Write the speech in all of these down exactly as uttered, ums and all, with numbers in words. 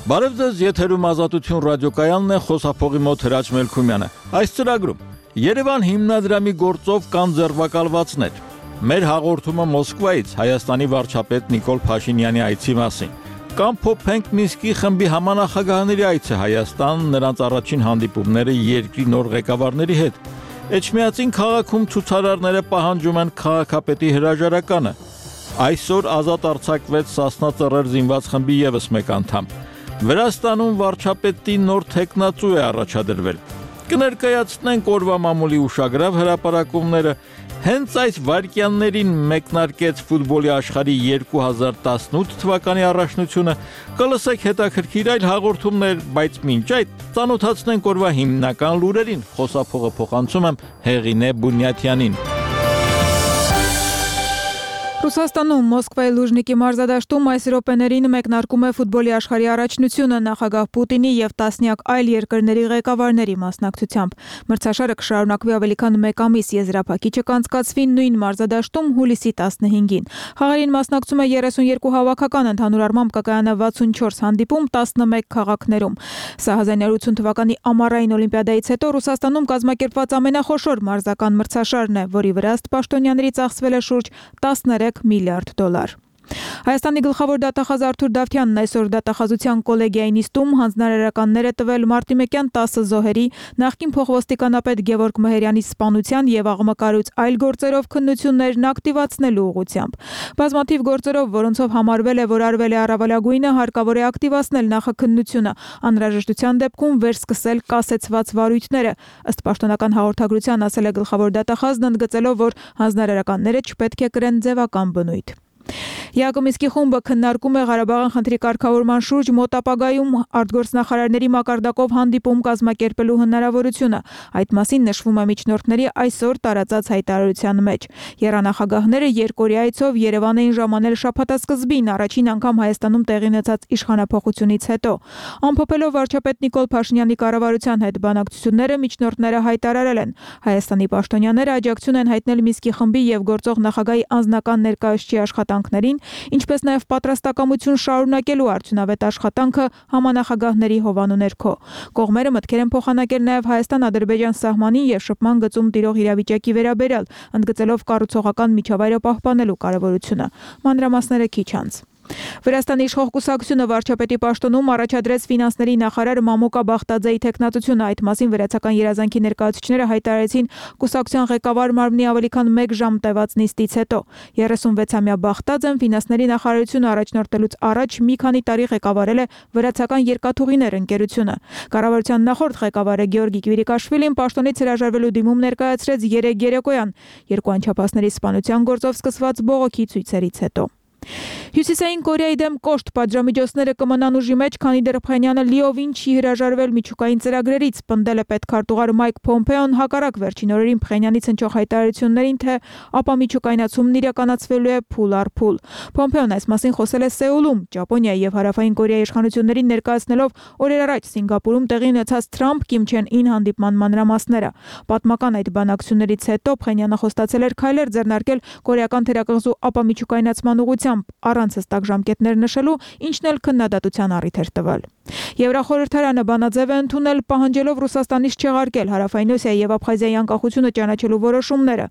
Բարև ձեզ, եթերում Ազատություն ռադիոկայանն է, խոսափողի մոտ Հրաչ Մելքումյանը։ Այս ծրագրում Երևան հիմնադրամի գործով կան ձերբակալվածներ։ Մեր հաղորդումը Մոսկվայից Հայաստանի վարչապետ Նիկոլ Փաշինյանի այցի մասին։ Կամ փոփենք Մինսկի խմբի համանախագահների այցը Հայաստան, նրանց առաջին հանդիպումները երկրի նոր ղեկավարների հետ։ Էջմիածին քաղաքում ցուցարարները պահանջում են քաղաքապետի հրաժարականը։ Այսօր ազատ արձակվեց Սասնա Ծռեր զինված խմբի ևս մեկ անդամ։ Վրաստանում վարչապետի նոր թեկնածու է առաջադրվել։ Կներկայացնենք օրվա մամուլի ուշագրավ հրապարակումները։ Հենց այս վայրկյաններին մեկնարկեց ֆուտբոլի աշխարհի երկու հազար տասնութ թվականի առաջնությունը։ Կլսեք հետաքրքիր այլ հաղորդումներ, բայց մինչ այդ ծանոթացնենք օրվա հիմնական լուրերին։ Խոսափողը փոխանցում եմ Հեղինե Բունյաթյանին։ Ռուսաստանում Մոսկվայի Լուժնիկի մարզադաշտում այս րոպեներին մեկնարկում է ֆուտբոլի աշխարհի առաջնությունը նախագահ Պուտինի եւ տասնյակ այլ երկրների ղեկավարների մասնակցությամբ։ Մրցաշարը կշարունակվի ավելի քան մեկ ամիս, եզրափակիչը կանցկացվի նույն մարզադաշտում հուլիսի տասնհինգին։ Խաղերին մասնակցում է երեսունյերկու հավաքական, ընդհանուր առմամբ կկայանա վաթսունչորս հանդիպում տասնմեկ քաղաքներում։ Սա հազար իննսուն ութ թվականի ամառային օլիմպիադայից հետո Ռուսաստանում կազմակերպված ամենախոշոր մարզական մրցաշարն է, որի վրա ըստ պաշտոնյաների ծախսվել է շուրջ տասներեք միլիարդ դոլար։ Հայաստանի գլխավոր դատախազ Արթուր Դավթյանն այսօր դատախազության կոլեգիայի նիստում հանձնարարականներ է տվել մարտիմեկյան տասը զոհերի, նախկին փոխոստիկանապետ Գևորգ Մհերյանի սպանության եւ աղմկարուց այլ գործերով քննություններն ակտիվացնելու ուղղությամբ։ Բազմաթիվ գործերով, որոնցով համարվել է, որ արվել է առավելագույնը, հարկավոր է ակտիվացնել նախաքննությունը, անհրաժեշտության դեպքում վերսկսել կասեցված վարույթները։ Ըստ պաշտոնական հաղորդագրության ասել է գլխավոր դատախազն, ընդգծելով, որ հանձնարարականները չպետք է կրեն ձևական բնույթ։ Յակոմիսկի խումբը քննարկում է Ղարաբաղյան խնդրի կարգավորման շուրջ մոտ ապագայում արտգործնախարարների մակարդակով հանդիպում կազմակերպելու հնարավորությունը։ Այդ մասին նշվում է միջնորդների այսօր տարածած հայտարարության մեջ։ Եռանախագահները երկօրյա այցով Երևան էին ժամանել շաբաթասկզբին, առաջին անգամ Հայաստանում տեղի ունեցած իշխանափոխությունից հետո։ Ամփոփելով վարչապետ Նիկոլ Փաշինյանի կառավարության հետ բանակցությունները, միջնորդները հայտարարել են. Հայաստանի պաշտոնյաները աջակցություն են հայտնել Մինսկի խմբի եւ գործող նախագահի անձնական ներկայացուցիչի աշխատանքներին, ինչպես նաև պատրաստակամություն շարունակելու արդյունավետ աշխատանքը համանախագահների հովանու ներքո։ Կողմերը մտքեր են փոխանակել նաև Հայաստան-Ադրբեջան սահմանին եւ շփման գծում տիրող իրավիճակի վերաբերյալ, ընդգծելով կառուցողական միջավայրը պահպանելու կարևորությունը։ Մանրամասները քիչ անց։ Վրաստանի իշխող կուսակցությունը վարչապետի պաշտոնում առաջադրեց ֆինանսների նախարար Մամոկա Բախտաձեի թեկնածությունը։ Այդ մասին վրացական երազանքի ներկայացուցիչները հայտարարեցին կուսակցության ղեկավար մարմնի ավելի քան մեկ ժամ տևած նիստից հետո։ երեսունվեցամյա Բախտաձեն ֆինանսների նախարարությունը առաջնորդելուց առաջ մի քանի տարի ղեկավարել է վրացական երկաթուղիներ ընկերությունը։ Կառավարության նախորդ ղեկավարը Գեորգի Կվիրիկաշվիլին պաշտոնից հրաժարվելու դիմում ներկայացրեց երեկ երեկոյան, երկու անչափահասների սպանության գործով սկսված բողոքի ցույցերից հետո։ Հյուսիսային Կորեայի դեմ կոշտ պատժամիջոցները կմնան ուժի մեջ, քանի դեռ Փխենյանը լիովին չի հրաժարվել միջուկային ծրագրերից, պնդել է պետքարտուղար Մայք Փոմփեոն հակառակ վերջին օրերին Փխենյանից հնչող հայտարարություններին, թե ապա միջուկայնացումն իրականացվելու է փուլ առ փուլ։ Փոմփեոն այս մասին խոսել է Սեուլում, Ճապոնիայի եւ Հարավային Կորեայի իշխանություններին ներկայացնելով օրեր առաջ Սինգապուրում տեղի ունեցած Թրամփ-Կիմ Չեն Ին հանդիպման մանրամասները։ Պատմական այդ բանակցություններից հետո Փխենյանը խոստացել էր քայլեր ձեռնարկել կորեական թերակղզու ապա միջուկայնացման ուղղությամբ, առանց հստակ ժամկետներ նշելու, ինչն էլ քննադատության առիթ էր տվել։ Եվրախորհրդարանը բանաձև է ընդունել, պահանջելով Ռուսաստանից չեղարկել Հարավային Օսիայի եւ Աբխազիայի անկախությունը ճանաչելու որոշումները։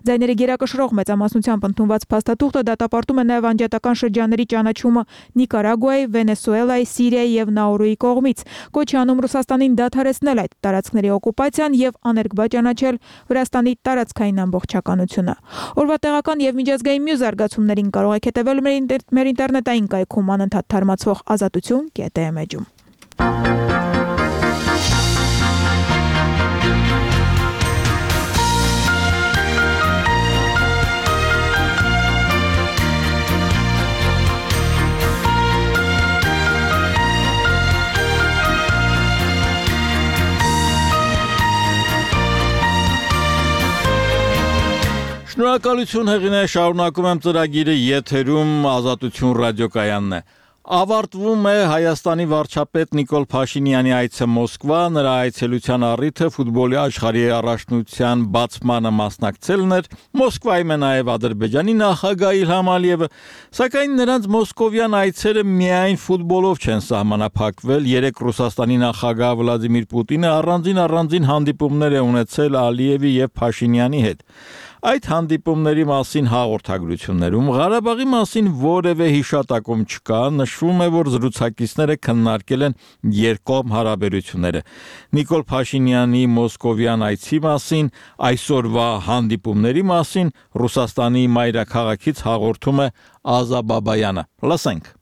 Ձայների գերակշռող մեծամասնությամբ ընդունված փաստաթուղթը դատապարտում է նաեւ անջատական շրջանների ճանաչումը Նիկարագուայի, Վենեսուելայի, Սիրիայի եւ Նաուրուի կողմից։ Կոչ է անում Ռուսաստանին դադարեցնել այդ տարածքների օկուպացիան եւ աներկբա ճանաչել Վրաստանի տարածքային ամբողջականությունը։ Օրվա տեղական եւ միջազգային մյուս զարգացումներին կարող եք հետևել մեր ինտերնետային կայքում անընդհատ թարմացվող ազատություն կետ է էջում։ Շնորհակալություն Հեղինե, շարունակում եմ ծրագիրը, եթերում Ազատություն ռադիոկայանն է։ Ավարտվում է Հայաստանի վարչապետ Նիկոլ Փաշինյանի այցը Մոսկվա, նրա այցելության առիթը ֆուտբոլի աշխարհի առաջնության բացմանը մասնակցելն էր, Մոսկվայում է նաև Ադրբեջանի նախագահ Իլհամ Ալիևը, սակայն նրանց մոսկովյան այցերը միայն ֆուտբոլով չեն սահմանափակվել, երեք Ռուսաստանի նախագահ Վլադիմիր Պուտինը առանձին-առանձին հանդիպումներ է ունեցել Ալիևի եւ Փաշինյանի հետ։ Այդ հանդիպումների մասին հաղորդագրություններում Ղարաբաղի մասին որևէ հիշատակում չկա, նշվում է, որ զրուցակիցները քննարկել են երկկողմ հարաբերությունները։ Նիկոլ Փաշինյանի մոսկովյան այցի մասին, այսօրվա հանդիպումների մասին Ռուսաստանի մայրաքաղաքից հաղորդում է Ազա Բաբայանը։ Լսենք։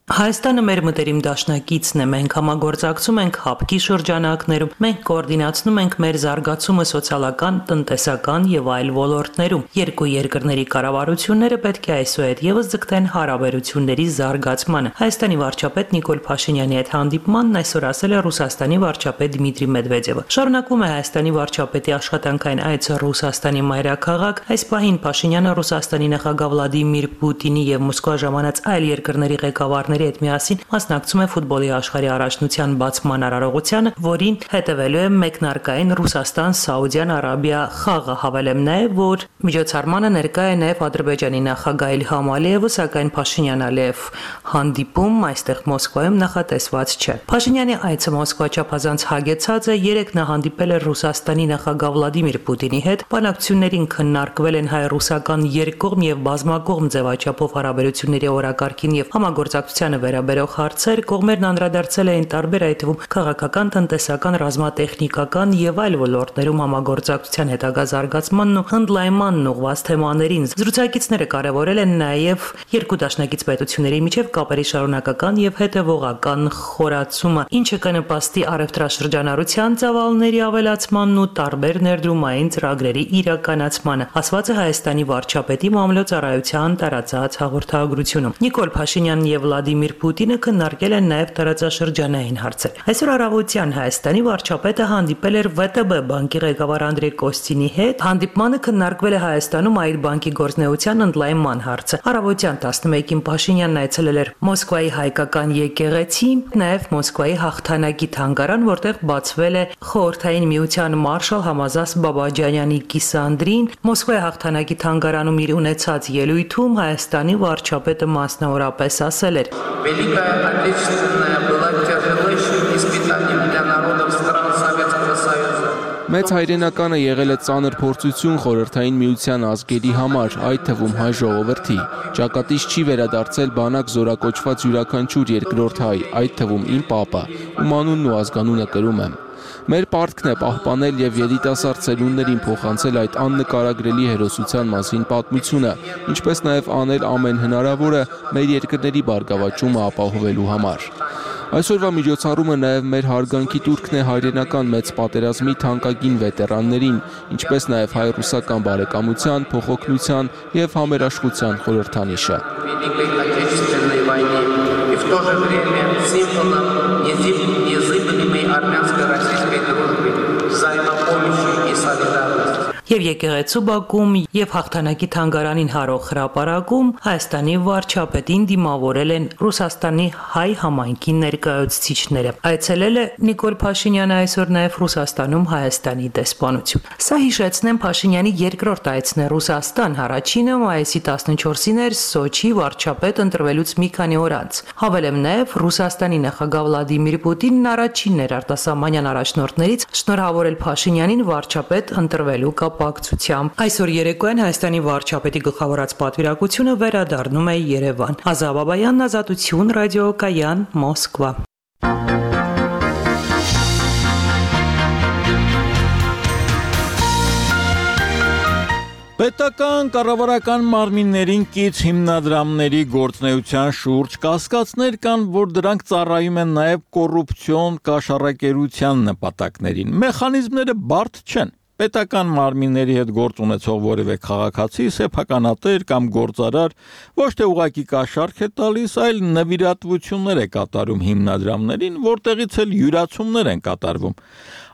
Հայաստանը մեր մտերիմ դաշնակիցն է, մենք համագործակցում ենք հապկի շրջանակներում, մենք կոորդինացնում ենք մեր զարգացումը սոցիալական, տնտեսական եւ այլ ոլորտներում։ Երկու երկրների կառավարությունները պետք է այսուհետ եւս ձգտեն հարաբերությունների զարգացմանը։ Հայաստանի վարչապետ Նիկոլ Փաշինյանի հետ հանդիպմանն այսօր ասել է Ռուսաստանի վարչապետ Դմիտրի Մեդվեդևը։ Շարունակվում է Հայաստանի վարչապետի աշխատանքային այցը Ռուսաստանի մայրաքաղաք, այս պահին Փաշինյանը Ռուսաստանի նախագահ Վլադիմիր Պուտինի եւ Մոսկվա ժամանած այլ երկրների ղեկավարների հետ միասին մասնակցում է ֆուտբոլի աշխարհի առաջնության բացման արարողությանը, որին հետևելու է մեկնարկային Ռուսաստան-Սաուդյան Արաբիա խաղը։ Հավելեմ նաև, որ միջոցառմանը ներկա է նաև Ադրբեջանի նախագահ Իլհամ Ալիևը, սակայն Փաշինյան-Ալիև հանդիպում այստեղ Մոսկվայում նախատեսված չէ։ Փաշինյանի այցը Մոսկվա չափազանց հագեցած է, երեք նա հանդիպել է Ռուսաստանի նախագահ Վլադիմիր Պուտինի հետ, բանակցություններին քննարկվել են հայ-ռուսական երկկողմ եւ բազմակողմ ձևաչափով հարաբերությունների օրակարգին եւ համագործակցության վերաբերող հարցեր, կողմերն անդրադարձել էին տարբեր, այդ թվում քաղաքական, տնտեսական, ռազմատեխնիկական եւ այլ ոլորտներում համագործակցության հետագա զարգացմանն ու հնդլայնմանն ուղղված թեմաներին։ Զրուցակիցները կարևորել են նաեւ երկու դաշնակից պետությունների միջև կապերի շարունակական եւ հետեւողական խորացումը, ինչը կնպաստի առևտրաշրջանառության ծավալների ավելացմանն ու տարբեր ներդրումային ծրագրերի իրականացմանը, ասված է Հայաստանի վարչապետի մամլոյցարայության տարածած հաղորդագրությունում։ Նիկոլ Փաշինյանն եւ Վլադիմիր Պուտինը քննարկել են նաև տարածաշրջանային հարցեր։ Այսօր առավոտյան Հայաստանի վարչապետը հանդիպել էր ՎՏԲ բանկի ղեկավար Անդրեյ Կոստինի հետ։ Հանդիպմանը քննարկվել է Հայաստանում այդ բանկի գործնեության ընդլայնման հարցը։ Առավոտյան տասնմեկին Փաշինյանն այցելել էր Մոսկվայի հայկական եկեղեցի, նաև Մոսկվայի հաղթանակի թանգարան, որտեղ բացվել է Խորհրդային Միության մարշալ Համազաս Բաբաջանյանի կիսանդրին։ Մոսկվայի հաղթանակի թանգարանում իր ունեցած ելույթում Հայաստանի վարչապետը մասնավորապես ասել էր. Великая Отечественная была тяжелейшим испытанием для народов стран Советского Союза. Մեծ հայրենականը եղել է ծանր փորձություն Խորհրդային Միության ազգերի համար, այդ թվում հայ ժողովրդի։ Ճակատից չի վերադարձել բանակ զորակոչված յուրաքանչյուր երկրորդ հայ, այդ թվում իմ պապը, ում անունն ու ազգանունը կրում եմ։ Մեր պարտքն է պահպանել եւ երիտասարդ սերունդներին փոխանցել այդ աննկարագրելի հերոսության մասին պատմությունը, ինչպես նաեւ անել ամեն հնարավորը մեր երկրների բարգավաճումը ապահովելու համար։ Այսօրվա միջոցառումը նաև մեր հարգանքի տուրքն է հայրենական մեծ պատերազմի թանկագին վետերաններին, ինչպես նաև հայ-ռուսական բարեկամության, փոխօգնության եւ համերաշխության խորհրդանիշը։ Եվ եկեղեցու բակում եւ հաղթանակի թանգարանին հարող հրապարակում Հայաստանի վարչապետին դիմավորել են Ռուսաստանի հայ համայնքի ներկայացուցիչները։ Այցելել է Նիկոլ Փաշինյանը այսօր նաեւ Ռուսաստանում Հայաստանի դեսպանություն։ Սա հիշեցնեմ Փաշինյանի երկրորդ այցն է Ռուսաստան, առաջինը մայիսի տասնչորսին էր Սոչի վարչապետ ընտրվելուց մի քանի օր անց։ Հավելեմ նաեւ Ռուսաստանի նախագահ Վլադիմիր Պուտինն առաջինն էր արտասահմանյան առաջնորդներից շնորհավորել Փաշինյանին վարչապետ ընտրվելու կապակցությամբ։ Այսօր երեկոյան Հայաստանի վարչապետի գլխավորած պատվիրակությունը վերադառնում է Երևան։ Ազա Բաբայան, Ազատություն, ռադիոկայան, Մոսկվա։ Պետական կառավարական մարմիններին կից հիմնադրամների գործնեության շուրջ կասկածներ կան, որ դրանք ծառայում են նաև կոռուպցիոն կաշառակերության նպատակներին։ Մեխանիզմները բարդ չեն։ Պետական մարմինների հետ գործ ունեցող որևէ քաղաքացի, սեփականատեր կամ գործարար ոչ թե ուղղակի կաշառք է տալիս, այլ նվիրատվություններ է կատարում հիմնադրամներին, որտեղից էլ յուրացումներ են կատարվում։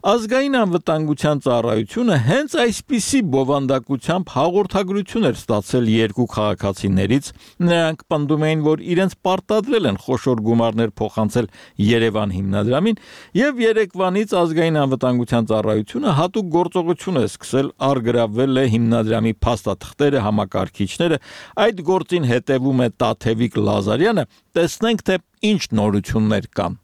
Ազգային անվտանգության ծառայությունը հենց այսպիսի բովանդակությամբ հաղորդագրություն էր ստացել երկու քաղաքացիներից, նրանք պնդում էին, որ իրենց պարտադրել են խոշոր գումարներ փոխանցել Երևան հիմնադրամին, եւ երեկվանից ազգային անվտանգության ծառայությունը հատուկ գործողություն է սկսել, առգրավվել է հիմնադրամի փաստաթղթերը, համակարգիչները, այդ գործին հետևում է Տաթևիկ Լազարյանը, տեսնենք թե ինչ նորություններ կան։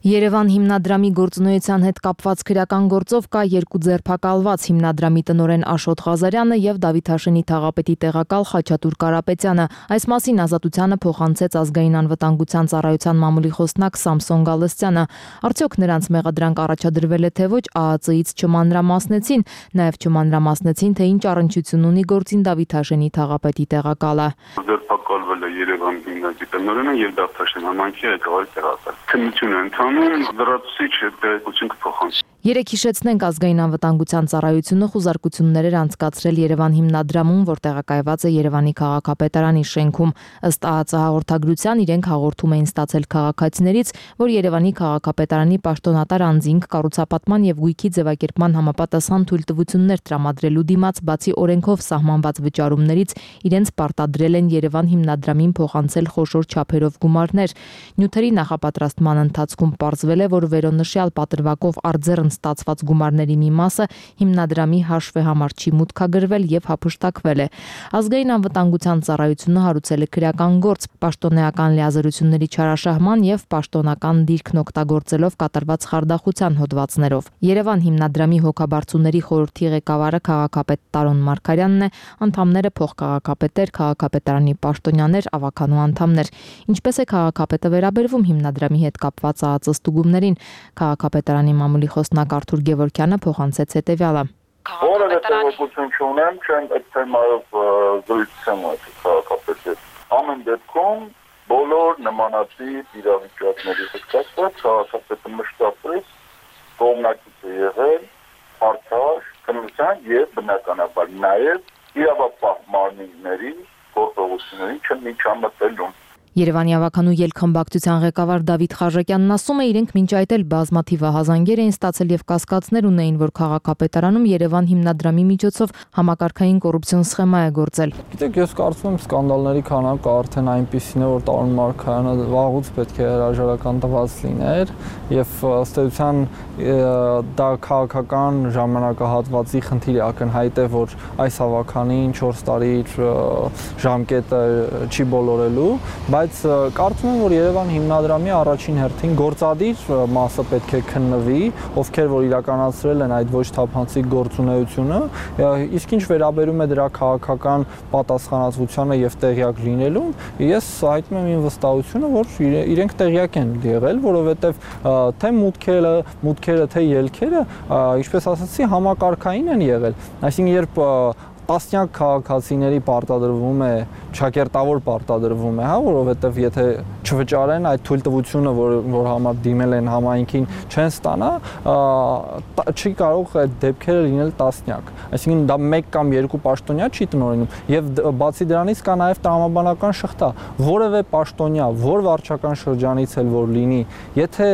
Երևան հիմնադրամի գործունեության հետ կապված քրեական գործով կա երկու ձերբակալված հիմնադրամի տնօրեն Աշոտ Ղազարյանը եւ Դավիթաշենի թաղապետի տեղակալ Խաչատուր Կարապետյանը։ Այս մասին ազատությանը փոխանցեց ազգային անվտանգության ծառայության մամուլի խոսնակ Սամսոն Գալստյանը։ Արդյոք նրանց մեղադրանք առաջադրվել է թե ոչ, ԱԱԾ-ից չմանրամասնեցին, նաեւ չմանրամասնեցին, թե ինչ առնչություն ունի գործին Դավիթաշենի թաղապետի տեղակալը։ Ձերբակալվել է Երևան հիմնադրամի տնօրենը եւ Դավիթաշեն համայնքի ղեկավարի տեղակալ։ Քննություն է ընթանում, լրացուցիչ տեղեկություն կփոխանցի։ Երեք հիշեցնենք ազգային անվտանգության ծառայությունը խուզարկություններ էր անցկացրել Երևան հիմնադրամում, որ տեղակայված է Երևանի քաղաքապետարանի շենքում։ Ըստ ԱԱԾ հաղորդագրության իրենք հաղորդում էին ստացել քաղաքացիներից, որ Երևանի քաղաքապետարանի պաշտոնատար անձինք կառուցապատման եւ գույքի ձևակերպման համապատասխան թույլտվություններ տրամադրելու դիմաց, բացի օրենքով սահմանված վճարումներից, իրենց պարտադրել են Երևան հիմնադրամին փոխանցել խոշոր չափերով գումարներ։ Նյութերի նախապատրաստման ընթացքում պարզվել է, որ վերոնշյալ պատրվակով արձեռն ստացված գումարների մի մասը հիմնադրամի հաշվեհամար չի մուտքագրվել եւ հափշտակվել է։ Ազգային անվտանգության ծառայությունը հարուցել է քրեական գործ պաշտոնեական լիազորությունների չարաշահման եւ պաշտոնական դիրքն օգտագործելով կատարված խարդախության հոդվածներով։ Երևան հիմնադրամի հոգաբարձուների խորհրդի ղեկավարը քաղաքապետ Տարոն Մարգարյանն է, անդամները փոխքաղաքապետեր, քաղաքապետարանի պաշտոնյաներ, ավականու անդամներ։ Ինչպես է քաղաքապետը վերաբերվում հիմնադրամի հետ կապված ԱԱԾ ստուգումներին, քաղաքապետարանի մամուլի խոսնակ Արթուր Գևորգյանը փոխանցեց հետևյալը։ Որևէ տեղեկություն չունեմ, չեմ այդ թեմայով զրույց չեմ ունեցել քաղաքապետի։ Ամեն դեպքում բոլոր նմանատիպ իրավիճակների հետ կապված քաղաքապետը մշտապես կողմնակից է եղել արդար քննության եւ բնականաբար նաեւ իրավապահ մարմինների գործողությունների չմիջամտելուն։ Երևանի ավականու ելքխմբակցության ղեկավար Դավիթ Խաչատյանն ասում է, իրենք մինչ այդ էլ բազմաթիվ ահազանգեր էին ստացել եւ կասկածներ ունեին, որ քաղաքապետարանում Երևան հիմնադրամի միջոցով համակարգային կոռուպցիոն սխեմա է գործել։ Գիտեք, ես կարծում եմ սկանդալների քանակը արդեն այնպիսին է, որ Տարոն Մարգարյանը վաղուց պետք է հրաժարական տված լիներ եւ ըստ էության դա քաղաքական ժամանակահատվածի խնդիր է, ակնհայտ է, որ այս ավականին չորս տարի ժամկետը չի բոլորելու, բայց կարծում եմ, որ Երևան հիմնադրամի առաջին հերթին գործադիր մասը պետք է քննվի, ովքեր որ իրականացրել են այդ ոչ թափանցիկ գործունեությունը, իսկ ինչ վերաբերում է դրա քաղաքական պատասխանատվությանը եւ տեղյակ լինելուն, ես հայտնում եմ իմ վստահությունը, որ իրենք տեղյակ են եղել, որովհետեւ թե մուտքերը, մուտքերը թե ելքերը, ինչպես ասացի, համակարգային են եղել, այսինքն երբ տասնյակ քաղաքացիների պարտադրվում է, ճակերտավոր պարտադրվում է, հա, որովհետև եթե չվճարեն այդ թույլտվությունը, որ որ համար դիմել են համայնքին, չեն ստանա, չի կարող այդ դեպքերը լինել տասնյակ։ Այսինքն դա մեկ կամ երկու պաշտոնյա չի տնօրինում, եւ բացի դրանից կա նաեւ տրամաբանական շղթա, որևէ պաշտոնյա, որ վարչական շրջանից էլ որ լինի, եթե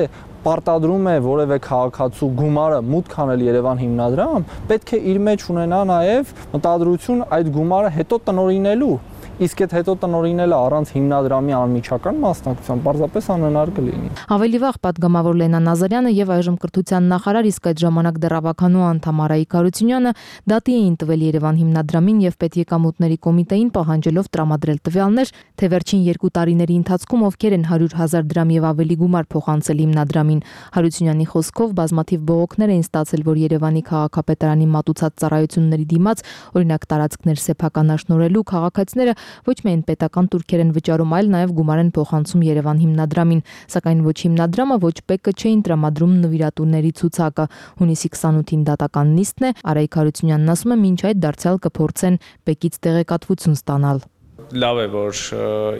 պարտադրում է որևէ քաղաքացու գումարը մուտք անել Երևան հիմնադրամ, պետք է իր մեջ ունենա նաև մտադրություն այդ գումարը հետո տնօրինելու, իսկ այդ հետո տնօրինելը առանց հիմնադրամի անմիջական մասնակցության պարզապես անհնար կլինի։ Ավելի վաղ պատգամավոր Լենա Նազարյանը եւ այժմ կրթության նախարար, իսկ այդ ժամանակ դեռ ավականու անդամ Արայիկ Հարությունյանը դատի էին տվել Երևան հիմնադրամին եւ պետեկամուտների կոմիտեին, պահանջելով տրամադրել տվյալներ, թե վերջին երկու տարիների ընթացքում ովքեր են հարյուր հազար դրամ եւ ավելի գումար փոխանցել հիմնադրամին։ Հարությունյանի խոսքով բազմաթիվ բողոքներ էին ստացել, որ Երևանի քաղաքապետարանի մատուցած ծառայությունների դիմաց, օրինակ տարածքներ սեփականաշնորհելու, քաղաքացիները ոչ միայն պետական турքեր են վճարում, այլ նաև գումար են փոխանցում Երևան հիմնադրամին, սակայն ոչ հիմնադրամը, ոչ ՊԵԿ-ը չէին տրամադրում նվիրատուների ցուցակը։ Հունիսի քսանութին դատական նիստն է, Արայիկ Հարությունյանն ասում է, մինչ այդ դարձյալ կփորձեն ՊԵԿ-ից տեղեկատվություն ստանալ։ Լավ է, որ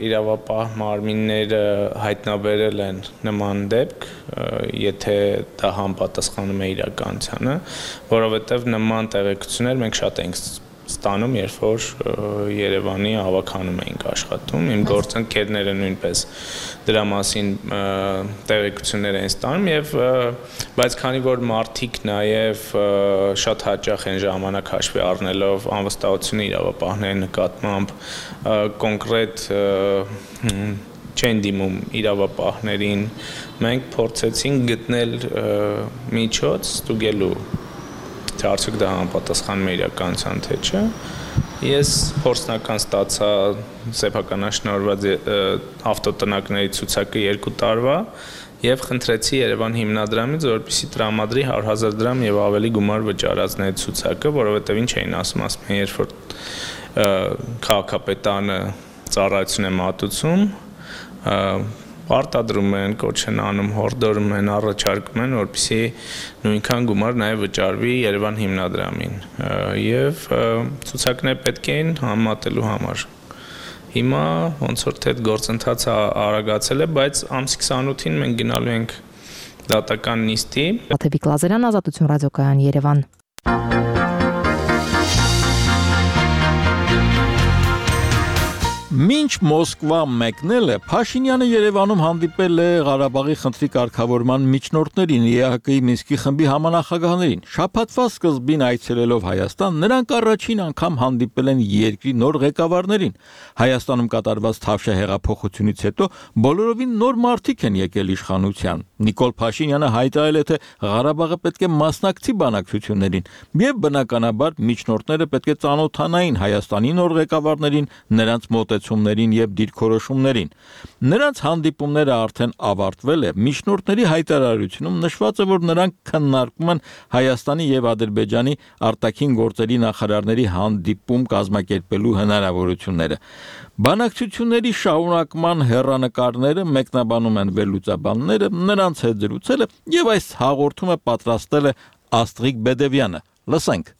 իրավապահ մարմինները հայտնաբերել են նման դեպք, եթե դա համապատասխանում է իրականությանը, որովհետև նման տեղեկություններ մենք շատ ենք ստանում, երբ որ Երևանի ավականում էինք աշխատում, իմ գործընկերները նույնպես դրա մասին տեղեկություններ են ստանում եւ բայց քանի որ մարդիկ նաեւ շատ հաճախ են ժամանակ հաշվի առնելով անվստահությունը իրավապահների նկատմամբ կոնկրետ չեն դիմում իրավապահներին, մենք փորձեցինք գտնել միջոց ստուգելու թե արդյոք դա համապատասխանում է իրականության թե չէ։ Ես փորձնական ստացա սեփականաշնորհված ավտոտնակների ցուցակը երկու տարվա եւ խնդրեցի Երևան հիմնադրամից, որպեսզի տրամադրի հարյուր հազար դրամ եւ ավելի գումար վճարածների ցուցակը, որովհետեւ ինչ էին ասում, ասում են, երբ որ քաղաքապետարանը ծառայություն է մատուցում, արտադրում են, կոչ են անում, հորդորում են, առաջարկում են, որպեսզի նույնքան գումար նաև վճարվի Երևան հիմնադրամին եւ ցուցակներ պետք էին համատելու համար։ Հիմա ոնց որ թե այդ գործընթացը արագացել է, բայց ամսի քսանութին մենք գնալու ենք դատական նիստի։ Աթևիկ Լազարյան, Ազատություն ռադիոկայան, Երևան։ Մինչ Մոսկվա մեկնել է, Փաշինյանը Երևանում հանդիպել է Ղարաբաղի խնդրի կարգավորման միջնորդներին, Է Հ Կ-ի Մինսկի խմբի համանախագահներին։ Շաբաթվա սկզբին այցելելով Հայաստան, նրանք առաջին անգամ հանդիպել են երկրի նոր ղեկավարներին։ Հայաստանում կատարված Թավշյա հեղափոխությունից հետո բոլորովին նոր մարդիկ են եկել իշխանության։ Նիկոլ Փաշինյանը հայտարարել է, թե Ղարաբաղը պետք է մասնակցի բանակցություններին, եւ բնականաբար միջնորդները պետք է ծանոթանային Հայաստանի նոր ղեկավարներին, նրանց մոտեցումներին եւ դիրքորոշումներին։ Նրանց հանդիպումները արդեն ավարտվել է։ Միջնորդների հայտարարությունում նշված է, որ նրանք քննարկում են Հայաստանի եւ Ադրբեջանի արտաքին գործերի նախարարների հանդիպում կազմակերպելու հնարավորությունները։ Բանակցությունների շարունակման հեռանկարները մեկնաբանում են վերլուծաբանները, նրանց հետ զրուցել է եւ այս հաղորդումը պատրաստել է Աստղիկ Բեդևյանը։ Լսենք։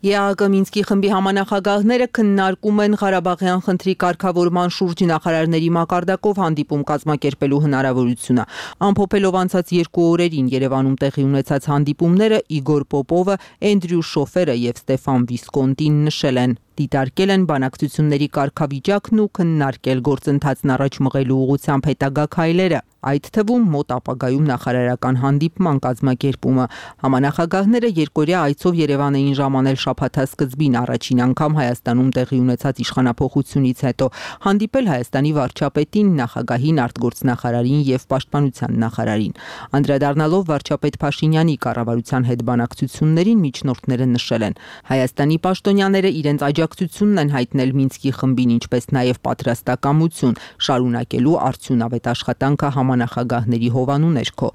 Է Հ Կ Մինսկի խմբի համանախագահները քննարկում են Ղարաբաղյան խնդրի կարգավորման շուրջ նախարարների մակարդակով հանդիպում կազմակերպելու հնարավորությունը։ Ամփոփելով անցած երկու օրերին Երևանում տեղի ունեցած հանդիպումները, Իգոր Պոպովը, Էնդրյու Շոֆերը եւ Ստեֆան Վիսկոնտին նշել են։ Դիտարկել են բանակցությունների կարգավիճակն ու քննարկել գործընթացն առաջ մղելու ուղղությամբ հետագա քայլերը, այդ թվում մոտ ապագայում նախարարական հանդիպման կազմակերպումը։ Համանախագահները երկօրյա այցով Երևան էին ժամանել շաբաթասկզբին առաջին անգամ Հայաստանում տեղի ունեցած իշխանափոխությունից հետո, հանդիպել Հայաստանի վարչապետին, նախագահին, արտգործնախարարին եւ պաշտպանության նախարարին։ Անդրադառնալով վարչապետ Փաշինյանի կառավարության հետ բանակցություններին, միջնորդները նշել են. Հայաստանի պաշտոնյաները իրենց աջակցությունն են հայտնել Մինսկի խմբին, ինչպես նաև պատրաստակամություն շարունակելու արդյունավետ աշխատանքը համանախագահների հովանու ներքո։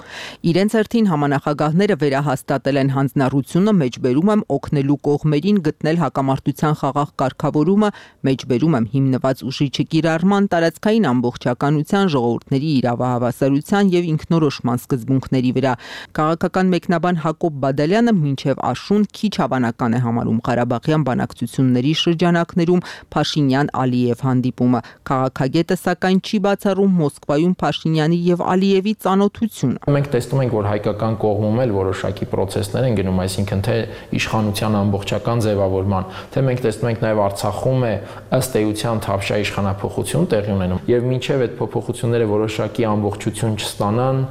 Իրենց հերթին համանախագահները վերահաստատել են հանձնառությունը, մեջբերում եմ օգնելու կողմերին գտնել հակամարտության խաղաղ կարգավորումը, մեջբերում եմ հիմնված ուժի չկիրառման, տարածքային ամբողջականության, ժողովուրդների իրավահավասարության եւ ինքնորոշման սկզբունքների վրա։ Քաղաքական մեկնաբան Հակոբ Բադալյանը մինչև աշուն քիչ հավանական է համարում Ղարաբաղյան բանակցությունների շրջանակներում Փաշինյան-Ալիև հանդիպումը։ Քաղաքագետը սակայն չի բացառում Մոսկվայում Փաշինյանի եւ Ալիևի ծանոթությունը։ Մենք տեսնում ենք, որ հայկական կողմում էլ որոշակի process-ներ են գնում, այսինքն թե իշխանության ամբողջական ձևավորման, թե մենք տեսնում ենք նաեւ Արցախում է ըստ էության Թավշյա իշխանափոխություն տեղի ունենում, եւ մինչեւ այդ փոփոխությունները որոշակի ամբողջություն չստանան,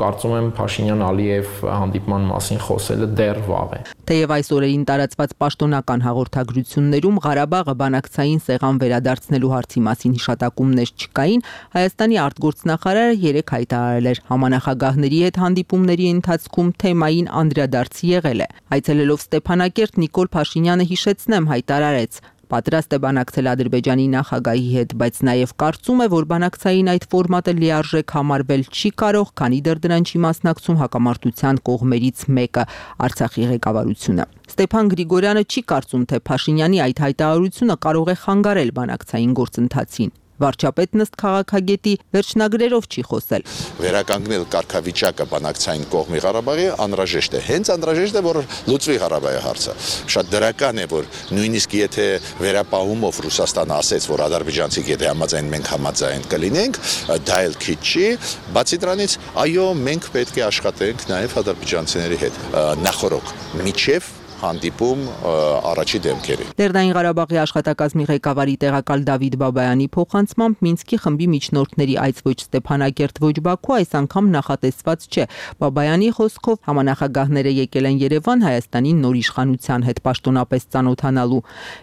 կարծում եմ Փաշինյան-Ալիև հանդիպման մասին խոսելը դեռ վաղ է։ Թեև այս օրերին տարածված պաշտոնական հաղորդագրություններում Ղարաբաղը բանակցային սեղան վերադարձնելու հարցի մասին հիշատակումներ չկային, Հայաստանի արտգործնախարարը երեկ հայտարարել էր, համանախագահների հետ հանդիպումների ընթացքում թեմային անդրադարձ եղել է։ Այցելելով Ստեփանակերտ, Նիկոլ Փաշինյանը հիշեցնեմ հայտարարեց. պատրաստ է բանակցել Ադրբեջանի նախագահի հետ, բայց նաև կարծում է, որ բանակցային այդ ֆորմատը լիարժեք համարվել չի կարող, քանի դեռ դրան չի մասնակցում հակամարտության կողմերից մեկը՝ Արցախի ղեկավարությունը։ Ստեփան Գրիգորյանը չի կարծում, թե Փաշինյանի այդ հայտարարությունը կարող է խանգարել բանակցային գործընթացին։ Վարչապետն ըստ քաղաքագետի վերջնագրերով չի խոսել։ Վերականգնել կարգավիճակը բանակցային կողմի Ղարաբաղի անհրաժեշտ է։ Հենց անհրաժեշտ է, որ լուծվի Ղարաբաղի հարցը։ Շատ դրական է, որ նույնիսկ եթե վերապահումով Ռուսաստանը ասեց, որ ադրբեջանցիք եթե համաձայն մենք համաձայն կլինենք, դա էլ քիչ չի։ Բացի դրանից, այո, մենք պետք է աշխատենք նաև ադրբեջանցիների հետ նախորոք միջև հանդիպում առաջի դեմքերի։ Լեռնային Ղարաբաղի աշխատակազմի ղեկավարի տեղակալ Դավիթ Բաբայանի փոխանցմամբ Մինսկի խմբի միջնորդների այց ոչ Ստեփանագերտ, ոչ Բաքու այս անգամ նախատեսված չէ։ Բաբայանի խոսքով համանախագահները եկել են Երևան Հայաստանի նոր իշխանության հետ պաշտոնապես ծանոթանալու։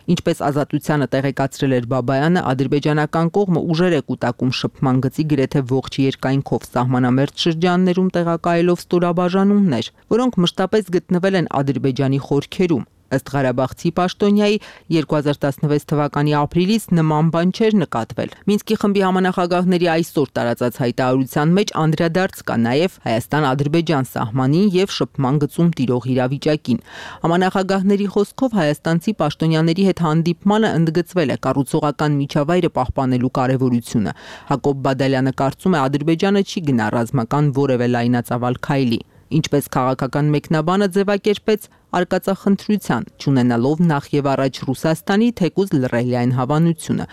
Ինչպես Ազատությանը տեղեկացրել էր Բաբայանը, ադրբեջանական կողմը ուժեր է կուտակում շփման գծի գրեթե ողջ երկայնքով սահմանամերձ շրջաններում տեղակայելով ստորաբաժանումներ, որոնք մշտապես գտնվել են Ադրբեջանի խորքերում։ Ըստ Ղարաբաղցի պաշտոնյայի երկու հազար տասնվեց թվականի ապրիլից նման բան չէր նկատվել։ Մինսկի խմբի համանախագահների այսօր տարածած հայտարարության մեջ անդրադարձ կա նաև Հայաստան-Ադրբեջան սահմանին եւ շփման գծում տիրող իրավիճակին։ Համանախագահների խոսքով հայաստանցի պաշտոնյաների հետ հանդիպմանը ընդգծվել է կառուցողական միջավայրը պահպանելու կարևորությունը։ Հակոբ Բադալյանը կարծում է Ադրբեջանը չի գնա ռազմական որևէ լայնածավալ քայլի։ Ինչպես քաղաքական մեկնաբանը ձևակերպեց արկածախնդրության, չունենալով նախ եւ առաջ Ռուսաստանի թեկուզ լռելիային հավանությունը։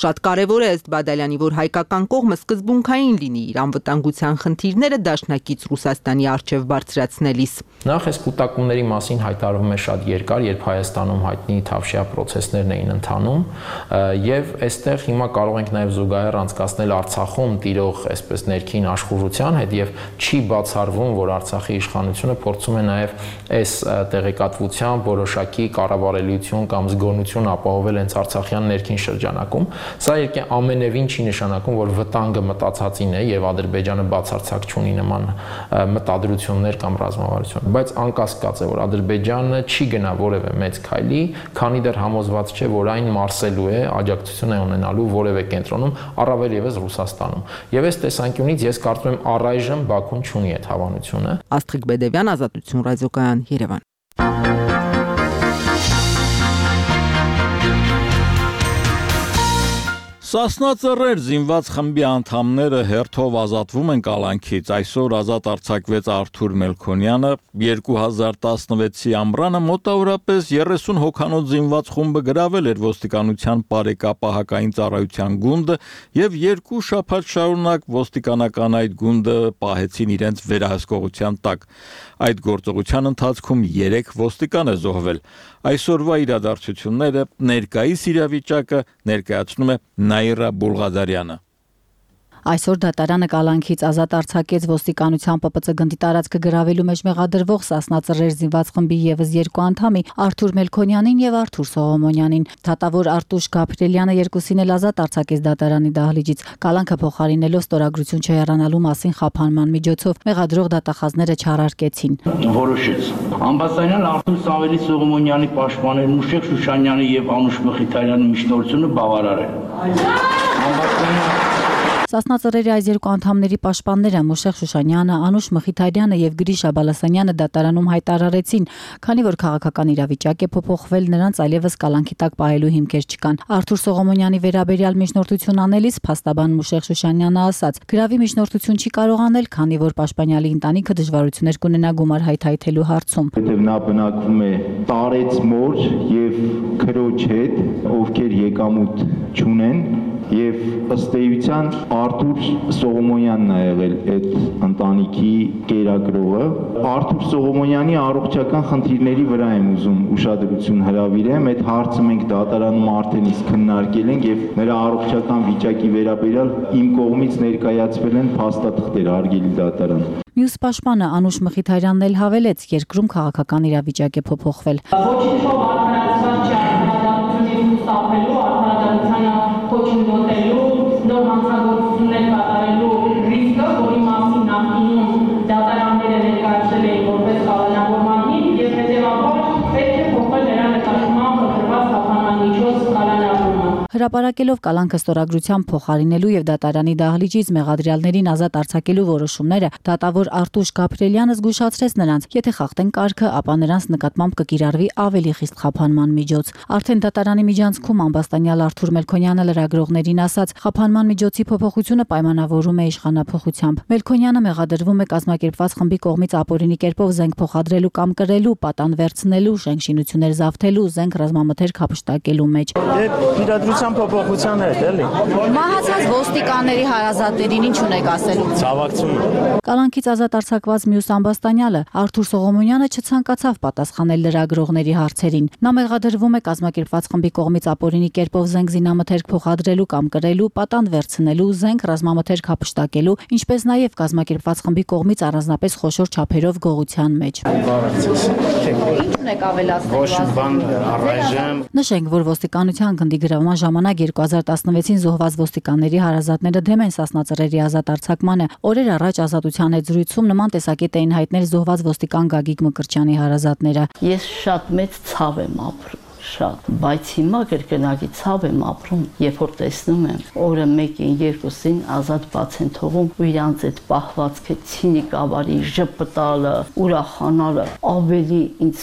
Շատ կարևոր է ըստ Բադալյանի, որ հայկական կողմը սկզբունքային լինի իր անվտանգության խնդիրները դաշնակից Ռուսաստանի առջև բարձրացնելիս։ Նախ այս կուտակումների մասին հայտարարվում է շատ երկար, երբ Հայաստանում հայտնի Թավշյա պրոցեսներն էին ընթանում, եւ այստեղ հիմա կարող ենք նաեւ զուգահեռ անցկացնել Արցախում տիրող այսպես ներքին աշխուժության հետ եւ չի բացառվում, որ Արցախի իշխանությունը փորձում է նաեւ այս տեղեկատվությամբ որոշակի կառավարելիություն կամ զգոնություն ապահովել հենց արցախյան ներքին շրջանակում։ Սա երկե ամենևին չի նշանակում, որ վտանգը մտածածին է եւ Ադրբեջանը բացարձակ չունի նման մտադրություններ կամ ռազմավարություն, բայց անկասկած է, որ Ադրբեջանը չի գնա որևէ մեծ քայլի, քանի դեռ համոզված չէ, որ այն մարսելու է, աջակցություն է ունենալու որևէ կենտրոնում, առավել եւս Ռուսաստանում։ Եվ այս տեսանկյունից ես կարծում եմ առայժմ Բաքուն չունի այդ հավանությունը։ Աստղիկ Բեդևյան, Ազատություն, Ռադիոկայան, Երևան։ Սասնա ծռեր զինված խմբի անդամները հերթով ազատվում են կալանքից։ Այսօր ազատ արձակվեց Արթուր Մելքոնյանը, երկու հազար տասնվեցի ամռանը մոտավորապես երեսուն հոգանոց զինված խումբը գրավել էր ոստիկանության բարեկապահական ծառայության գունդը եւ երկու շաբաթ շարունակ ոստիկանական այդ գունդը պահեցին իրենց վերահսկողության տակ։ Այդ գործողության ընթացքում երեք ոստիկան է զոհվել։ Այսօրվա իրադարձությունները, ներկայիս իրավիճակը ներկայացնում է Նաիրա Բուլղադարյանը։ Այսօր դատարանը կալանքից ազատ արձակեց ոստիկանության Պ Պ Ց գնդի տարածքը գրավելու մեջ մեղադրվող Սասնա ծռեր զինված խմբի եւս երկու անդամի Արթուր Մելքոնյանին եւ Արթուր Սողոմոնյանին։ Դատավոր Արտուշ Գաբրիելյանը երկուսին էլ ազատ արձակեց դատարանի դահլիճից։ Կալանքը փոխարինելով ստորագրություն չհեռանալու մասին խափանման միջոցով մեղադրող դատախազները չարարկեցին։ Որոշեց Ամբաստանյան Արթուր Սամվելի Սողոմոնյանի պաշտպաներ Մուշեղ Շուշանյանի եւ Անուշ Մխիթարյանի միջնորդությունը բավարար է։ Սասնա ծռերի այս երկու անդամների պաշտպանները Մուշեղ Շուշանյանը, Անուշ Մխիթարյանը եւ Գրիշա Բալասանյանը դատարանում հայտարարեցին, քանի որ քաղաքական իրավիճակ է փոփոխվել, նրանց այլևս կալանքի տակ պահելու հիմքեր չկան։ Արթուր Սողոմոնյանի վերաբերյալ միջնորդություն անելիս փաստաբան Մուշեղ Շուշանյանը ասաց. «Գրավի միջնորդություն չի կարող անել, քանի որ պաշտպանյալի ընտանիքը դժվարություններ կունենա գումար հայթայթելու հարցում»։ Որտեւ նա բնակվում է տարեց մոր եւ քրոջ հետ, ովքեր եկամուտ չունեն, եւ ըստ էության Արթուր Սողոմոնյանն է եղել այդ ընտանիքի կերակրողը։ Արթուր Սողոմոնյանի առողջական խնդիրների վրա եմ ուզում ուշադրություն հրավիրեմ։ Այդ հարցը մենք դատարանում արդեն իսկ քննարկել ենք եւ նրա առողջական վիճակի վերաբերյալ իմ կողմից ներկայացվել են փաստաթղթեր արգելի դատարան։ Մյուս պաշտպանը Անուշ Մխիթարյանն էլ հավելեց, երկրում քաղաքական իրավիճակ է փոփոխվել։ Ոչինչով արդարացված չի արդարադատությունից խուսափելու, արդարադատությանը կոչնդոտելու, նոր հանցագործություններ կատարելու ռիսկը, որի մասին նախկինում դատարանները ներկայացրել էին որպես կալանավորման հիմք եւ հետեւաբար պետք է փոխել նրա նկատմամբ խտրված խափանման միջոց կալանավորումը։ Հրապարակելով կալանքը ստորագրությամբ փոխարինելու եւ դատարանի դահլիճից մեղադրյալներին ազատ արձակելու որոշումները, դատավոր Արտուշ Գաբրիելյանը զգուշացրեց նրանց, եթե խախտեն կարգը, ապա նրանց նկատմամբ կկիրառվի ավելի խիստ խափանման միջոց։ Արդեն դատարանի միջանցքում ամբաստանյալ Արթուր Մելքոնյանը լրագրողներին ասաց, խափանման միջոցի փոփոխությունը պայմանավորում է իշխանափոխությամբ։ Մելքոնյանը մեղադրվում է կազմակերպված խմբի կողմից ապօրինի կերպով զենք փոխադրելու կամ կրելու, պատան վերցնելու, շենք շինություններ զավթելու, զենք ռազմամթերք հափշտակելու մեջ։ Իրադրությամբ փոփոխության հետ, էլի։ Մահացած ոստիկանների հարազատներին ինչ ունեք ասելու։ Ցավակցում եմ։ Կալանքից ազատ արձակված մյուս ամբաստանյալը Արթուր Սողոմոնյանը չցանկացավ պատասխանել լրագրողների հարցերին։ Նա մեղադրվում է կազմակերպված խմբի կողմից ապօրինի կերպով զենք զինամթերք փոխադրելու կամ կրելու, պատանդ վերցնելու, զենք ռազմամթերք հափշտակելու, ինչպես նաև կազմակերպված խմբի կողմից առանձնապես խոշոր չափերով գողության մեջ։ Ինչ ունեք ավելացնել։ Ոչ բան առայժմ։ Նշենք, որ ոստիկանության գնդի գրավման ժամանակ երկու հազար տասնվեցին զոհված ոստիկանների հարազատները դեմ են Սասնա ծռերի ազատ արձակմանը։ Օրեր առաջ Ազատության հետ զրույցում նման տեսակետ էին հայտնել զոհված ոստիկան Գագիկ Մկրտչյանի հարազատները։ Ես շատ մեծ ցավ եմ ապրում, շատ, բայց հիմա կրկնակի ցավ եմ ապրում, երբ որ տեսնում եմ օրը մեկին, երկուսին ազատ բաց են թողում ու իրանց այդ պահվածքը ցինիկ ավարի ժպտալը, ուրախանալը ավելի ինձ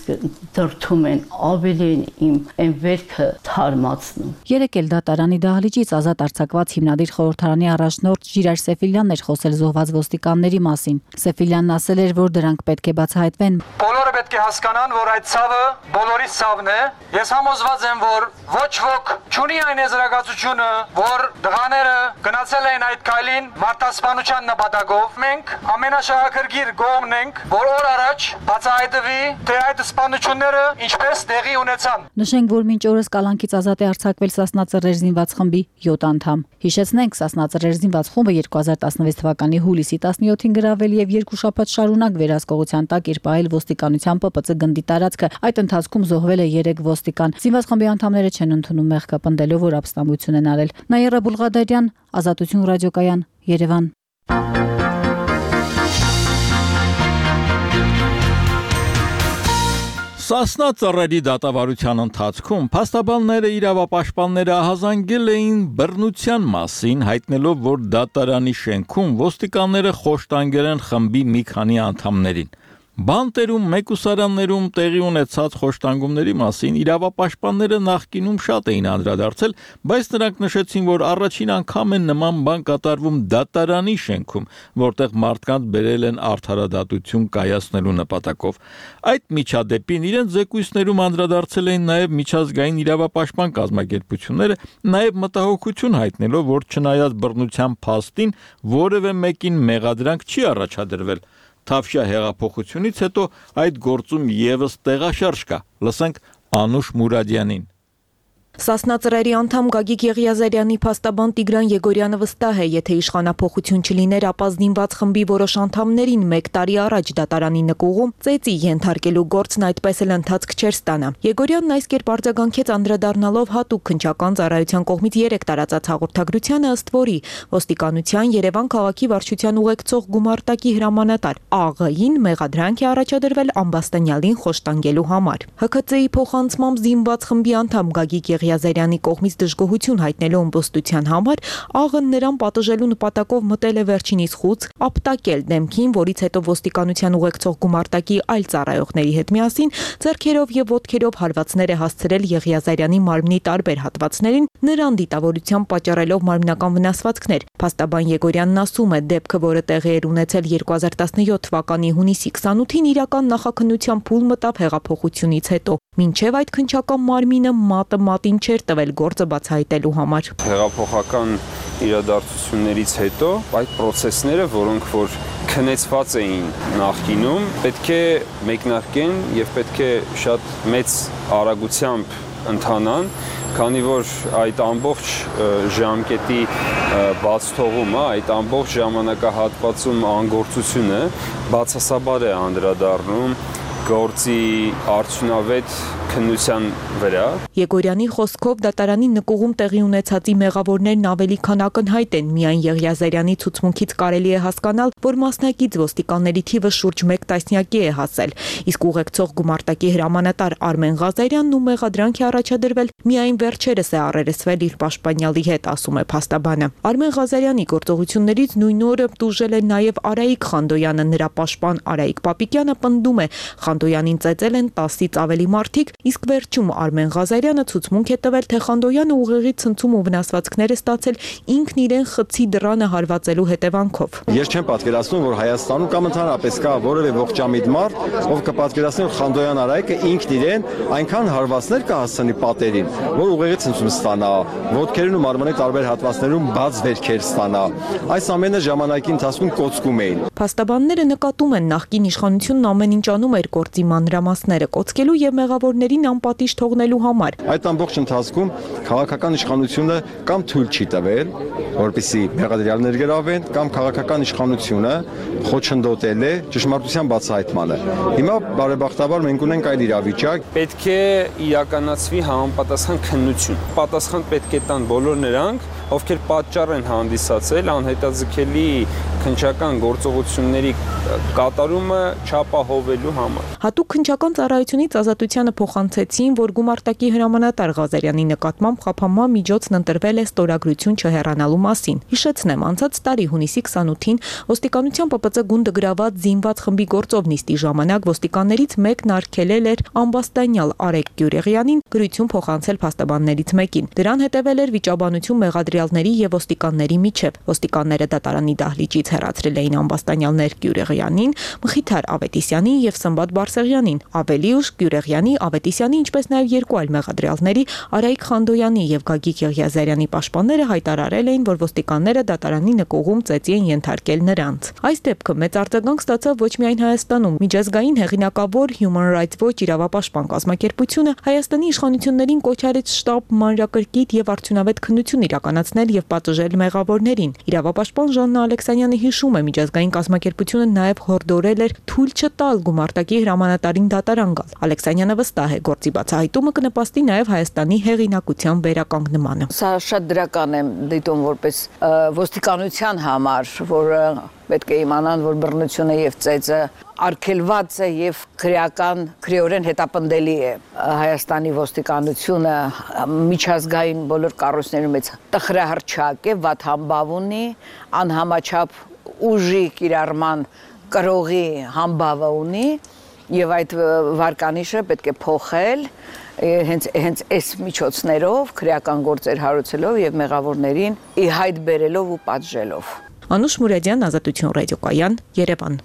դրթում են, ավելի են իմ այն վերքը թարմացնում։ Երեկ էլ դատարանի դահլիճից ազատ արձակված հիմնադիր խորհրդարանի առաջնորդ Ժիրայր Սեֆիլյանն էր խոսել զոհված ոստիկանների մասին։ Սեֆիլյանն ասել էր, որ դրանք պետք է բացահայտվեն։ Բոլորը պետք է հասկանան, որ այդ ցավը բոլորի ցավն է։ Ես համոզված եմ, որ ոչ ոք չունի այն եզրակացությունը, որ դղաները գնացել են այդ քայլին մարտահրավերության նպատակով։ Մենք ամենաշահագրգիռ կողմն ենք, որ օր առաջ բացահայտվի, թե այդ սպանությունները ինչպես տեղի ունեցան։ Նշենք, որ մինչ օրս կալանքից ազատ է արձակվել Սասնա ծռեր զինված խմբի յոթ անդամ։ Հիշեցնենք, Սասնա ծռեր զինված խումբը երկու հազար տասնվեց թվականի հուլիսի տասնյոթին գրավել եւ երկու շաբաթ շարունակ վերահսկողության տակ էր պահել ոստիկանության Պ Պ Ծ գնդի տարածքը։ Այդ ընթացքում զոհվել է երեք ոստիկան։ Զինված խմբի անդամները չեն ընդունում մեղքը, պնդելով, որ ապստամբություն են արել։ Նաիրա Բուլղադարյան, Ազատություն ռադիոկայան, Երևան։ Սասնա ծռերի դատավարության ընթացքում փաստաբանները իրավապաշտպանները ահազանգել էին բռնության մասին, հայտնելով, որ դատարանի շենքում ոստիկանները խոշտանգել են խմբի մի քանի անդամներին։ Բանտերում, մեկուսարաններում տեղի ունեցած խոշտանգումների մասին իրավապաշտպանները նախկինում շատ էին անդրադարձել, բայց նրանք նշեցին, որ առաջին անգամ է նման բան կատարվում դատարանի շենքում, որտեղ մարդկանց բերել են արդարադատություն կայացնելու նպատակով։ Այդ միջադեպին իրենց զեկույցներում անդրադարձել էին նաև միջազգային իրավապաշտպան կազմակերպությունները, նաև մտահոգություն հայտնելով, որ չնայած բռնության փաստին որևէ մեկին մեղադրանք չի առաջադրվել։ Թավշյա հեղափոխությունից հետո այդ գործում եւս տեղաշարժ կա։ Լսենք Անուշ Մուրադյանին։ Սասնա ծռերի անդամ Գագիկ Եղիազարյանի փաստաբան Տիգրան Եգորյանը վստահ է, եթե իշխանափոխություն չլիներ, ապա զինված խմբի որոշ անդամներին մեկ տարի առաջ դատարանի նկուղում ծեծի ենթարկելու գործն այդպես էլ ընթացք չէր ստանա։ Եգորյանն այս կերպ արձագանքեց անդրադառնալով հատուկ քննչական ծառայության կողմից երեք տարածած հաղորդագրությանը, ըստ որի ոստիկանության Երևան քաղաքի վարչության ուղեկցող գումարտակի հրամանատար Ա.Ղ.-ին մեղադրանք է առաջադրվել ամբաստանյալին խոշտանգելու համար։ Հ K C-ի փոխանցմամբ զինված խմբի անդամ Գագիկ Եղիազարյանի կողմից դժգոհություն հայտնելու ըմբոստության համար Ա.Ղ.-ն նրան պատժելու նպատակով մտել է վերջինիս խուց ապտակել դեմքին, որից հետո ոստիկանության ուղեկցող գումարտակի այլ ծառայողների հետ միասին ձեռքերով եւ ոտքերով հարվածներ է հասցրել Եղիազարյանի մարմնի տարբեր հատվածներին, նրան դիտավորությամբ պատճառելով մարմնական վնասվածքներ։ Փաստաբան Եգորյանն ասում է, դեպքը, որը տեղի էր ունեցել երկու հազար տասնյոթ թվականի հունիսի քսանութին, իրական նախաքննության փուլ մտավ հեղափոխությունից հետո, մինչև այդ քննչական մարմինը մատը մատին չէր տվել գործը բացահայտելու համար։ Հեղափոխական իրադարձություններից հետո այդ process-ները, որոնք որ քնեցված էին նախկինում, պետք է մեկնարկեն եւ պետք է շատ մեծ արագությամբ ընթանան, քանի որ այդ ամբողջ ժամկետի բաց թողումը, այդ ամբողջ ժամանակահատվածում անգործությունը բացասաբար է անդրադառնում գործի արդյունավետ քննության վրա։ Եգորյանի խոսքով դատարանի նկուղում տեղի ունեցածի մեղավորներն ավելի քան ակնհայտ են, միայն Եղիազարյանի ցուցմունքից կարելի է հասկանալ, որ մասնակից ոստիկանների թիվը շուրջ մեկ տասնյակի է հասել, իսկ ուղեկցող գումարտակի հրամանատար Արմեն Ղազարյանն ու մեղադրանք է առաջադրվել միայն վերջերս է առերեսվել իր պաշտպանյալի հետ, ասում է փաստաբանը։ Արմեն Ղազարյանի գործողություններից նույն օրը տուժել է նաև Արայիկ Խանդոյանը, նրա պաշտպան Արայիկ Պապիկյանը պնդում է, Խանդոյանին ծեծել են տասից ավելի մարդիկ իսկ վերջում Արմեն Ղազարյանը ցուցմունք է տվել, թե Խանդոյանը ուղեղի ցնցում ու վնասվածքներ է ստացել ինքն իրեն խցի դռանը հարվածելու հետևանքով։ Ես չեմ պատկերացնում, որ Հայաստանում կամ ընդհանրապես կա որևէ ողջամիտ մարդ, ով կպատկերացնի, որ Խանդոյան Արայիկը ինքն իրեն այնքան հարվածներ կհասցնի պատերին, որ ուղեղի ցնցում ստանա, ոտքերին ու մարմնի տարբեր հատվածներում բաց վերքեր ստանա։ Այս ամենը ժամանակի ընթացքում կոծկում էին։ Փաստաբանները նկատում են, նախկին իշխանությունն ամեն ինչ անում էր գործի մանրամասները կոծկելու եւ մեղավորներին անպատիժ թողնելու համար։ Այդ ամբողջ ընթացքում քաղաքական իշխանությունը կամ թույլ չի տվել, որպեսզի մեղադրյալներ գրավեն, կամ քաղաքական իշխանությունը խոչընդոտել է ճշմարտության բացահայտմանը։ Հիմա բարեբախտաբար մենք ունենք այլ իրավիճակ։ Պետք է իրականացվի համապատասխան քննություն։ Պատասխան պետք է տան բոլոր նրանք, ովքեր պատճառ են հանդիսացել անհետաձգելի քննչական գործողությունների կատարումը չապահովելու համար։ Հատուկ քննչական ծառայությունից Ազատությանը փոխանցեցին, որ գումարտակի հրամանատար Ղազարյանի նկատմամբ խափանման միջոցն ընտրվել է ստորագրություն չհեռանալու մասին։ Հիշեցնեմ, անցած տարի հունիսի քսանութին ոստիկանության Պ Պ Ծ գունդը գրաված զինված խմբի գործով նիստի ժամանակ ոստիկաններից մեկն արգելել էր ամբաստանյալ Արեգ Գյուրեղյանին գրություն փոխանցել փաստաբաններից մեկին։ Դրան հետևել էր վիճաբանություն մեղադրյալների եւ ոստիկանների միջև։ Ոստիկանները դատարանի դահլիճից հեռացրել էին ամբաստանյալներ Գյուրեղյանին, Մխիթար Ավետիսյանին եւ Սմբատ Բարսեղյանին։ Ավելի ուշ Գյուրեղյանի, Ավետիսյանի, ինչպես նաեւ երկու այլ մեղադրյալների Արայիկ Խանդոյանի եւ Գագիկ Եղիազարյանի պաշտպանները հայտարարել էին, որ ոստիկանները դատարանի նկուղում ծեծի են ենթարկել նրանց։ Այս դեպքը մեծ արձագանք ստացավ ոչ միայն Հայաստանում, միջազգային հեղինակավոր Human Rights Watch իրավապաշտպան կազմակերպությունը Հայաստանի իշխանություններին կոչ արեց շտապ մանրակրկիտ եւ արդյունավետ քննություն իրականացնել եւ պատժել մեղավորներին։ Իրավապաշտպան Ժաննա Ալեքսանյանը հիշում է, միջազգային կազմակերպությունը նաեւ հորդորել էր թույլ չտալ գումարտակի հրամանատարին դատարան գալ։ Ալեքսանյանը վստահ է, գործի բացահայտումը կնպաստի նաեւ Հայաստանի հեղինակության վերականգնմանը։ Սա շատ դրական է դիտում որպես ոստիկանության համար, որ պետք է իմանան, որ բռնությունը եւ ծեծը արգելված է եւ քրեական քրեորեն հետապնդելի է։ Հայաստանի ոստիկանությունը միջազգային բոլոր կառույցներում մեծ տխրահռչակ է, վատ համբավ ունի, անհամաչափ ուժի կիրառման կրողի համբավը ունի եւ այդ վարկանիշը պետք է փոխել հենց հենց այս միջոցներով քրեական գործեր հարուցելով եւ մեղավորներին ի հայտ բերելով ու պատժելով։ Անուշ Մուրադյան, Ազատություն ռադիոկայան, Երևան։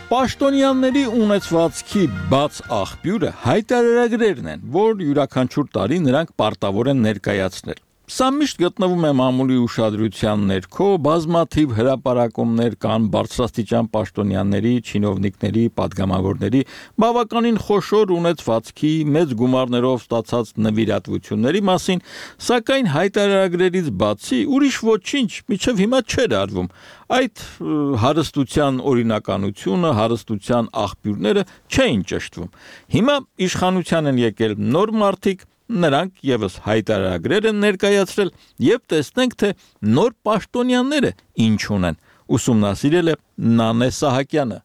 Պաշտոնյաների ունեցվածքի բաց աղբյուրը հայտարարագրերն են, որ յուրաքանչյուր տարի նրանք պարտավոր են ներկայացնել։ Սա միշտ գտնվում է մամուլի ուշադրության ներքո, բազմաթիվ հրապարակումներ կան բարձրաստիճան պաշտոնյաների, չինովնիկների, падգամավորների բավականին խոշոր ունեցվածքի, մեծ գումարներով ստացած նվիրատվությունների մասին, սակայն հայտարարագրերից բացի ուրիշ ոչինչ մինչև հիմա չէր արվում։ Այդ հարստության օրինականությունը, հարստության աղբյուրները չէին ճշտվում։ Հիմա իշխանության են եկել նոր մարդիկ, նրանք եւս հայտարարագրեր են ներկայացրել եւ տեսնենք, թե նոր պաշտոնյաները ինչ ունեն։ Ուսումնասիրել է Նանե Սահակյանը։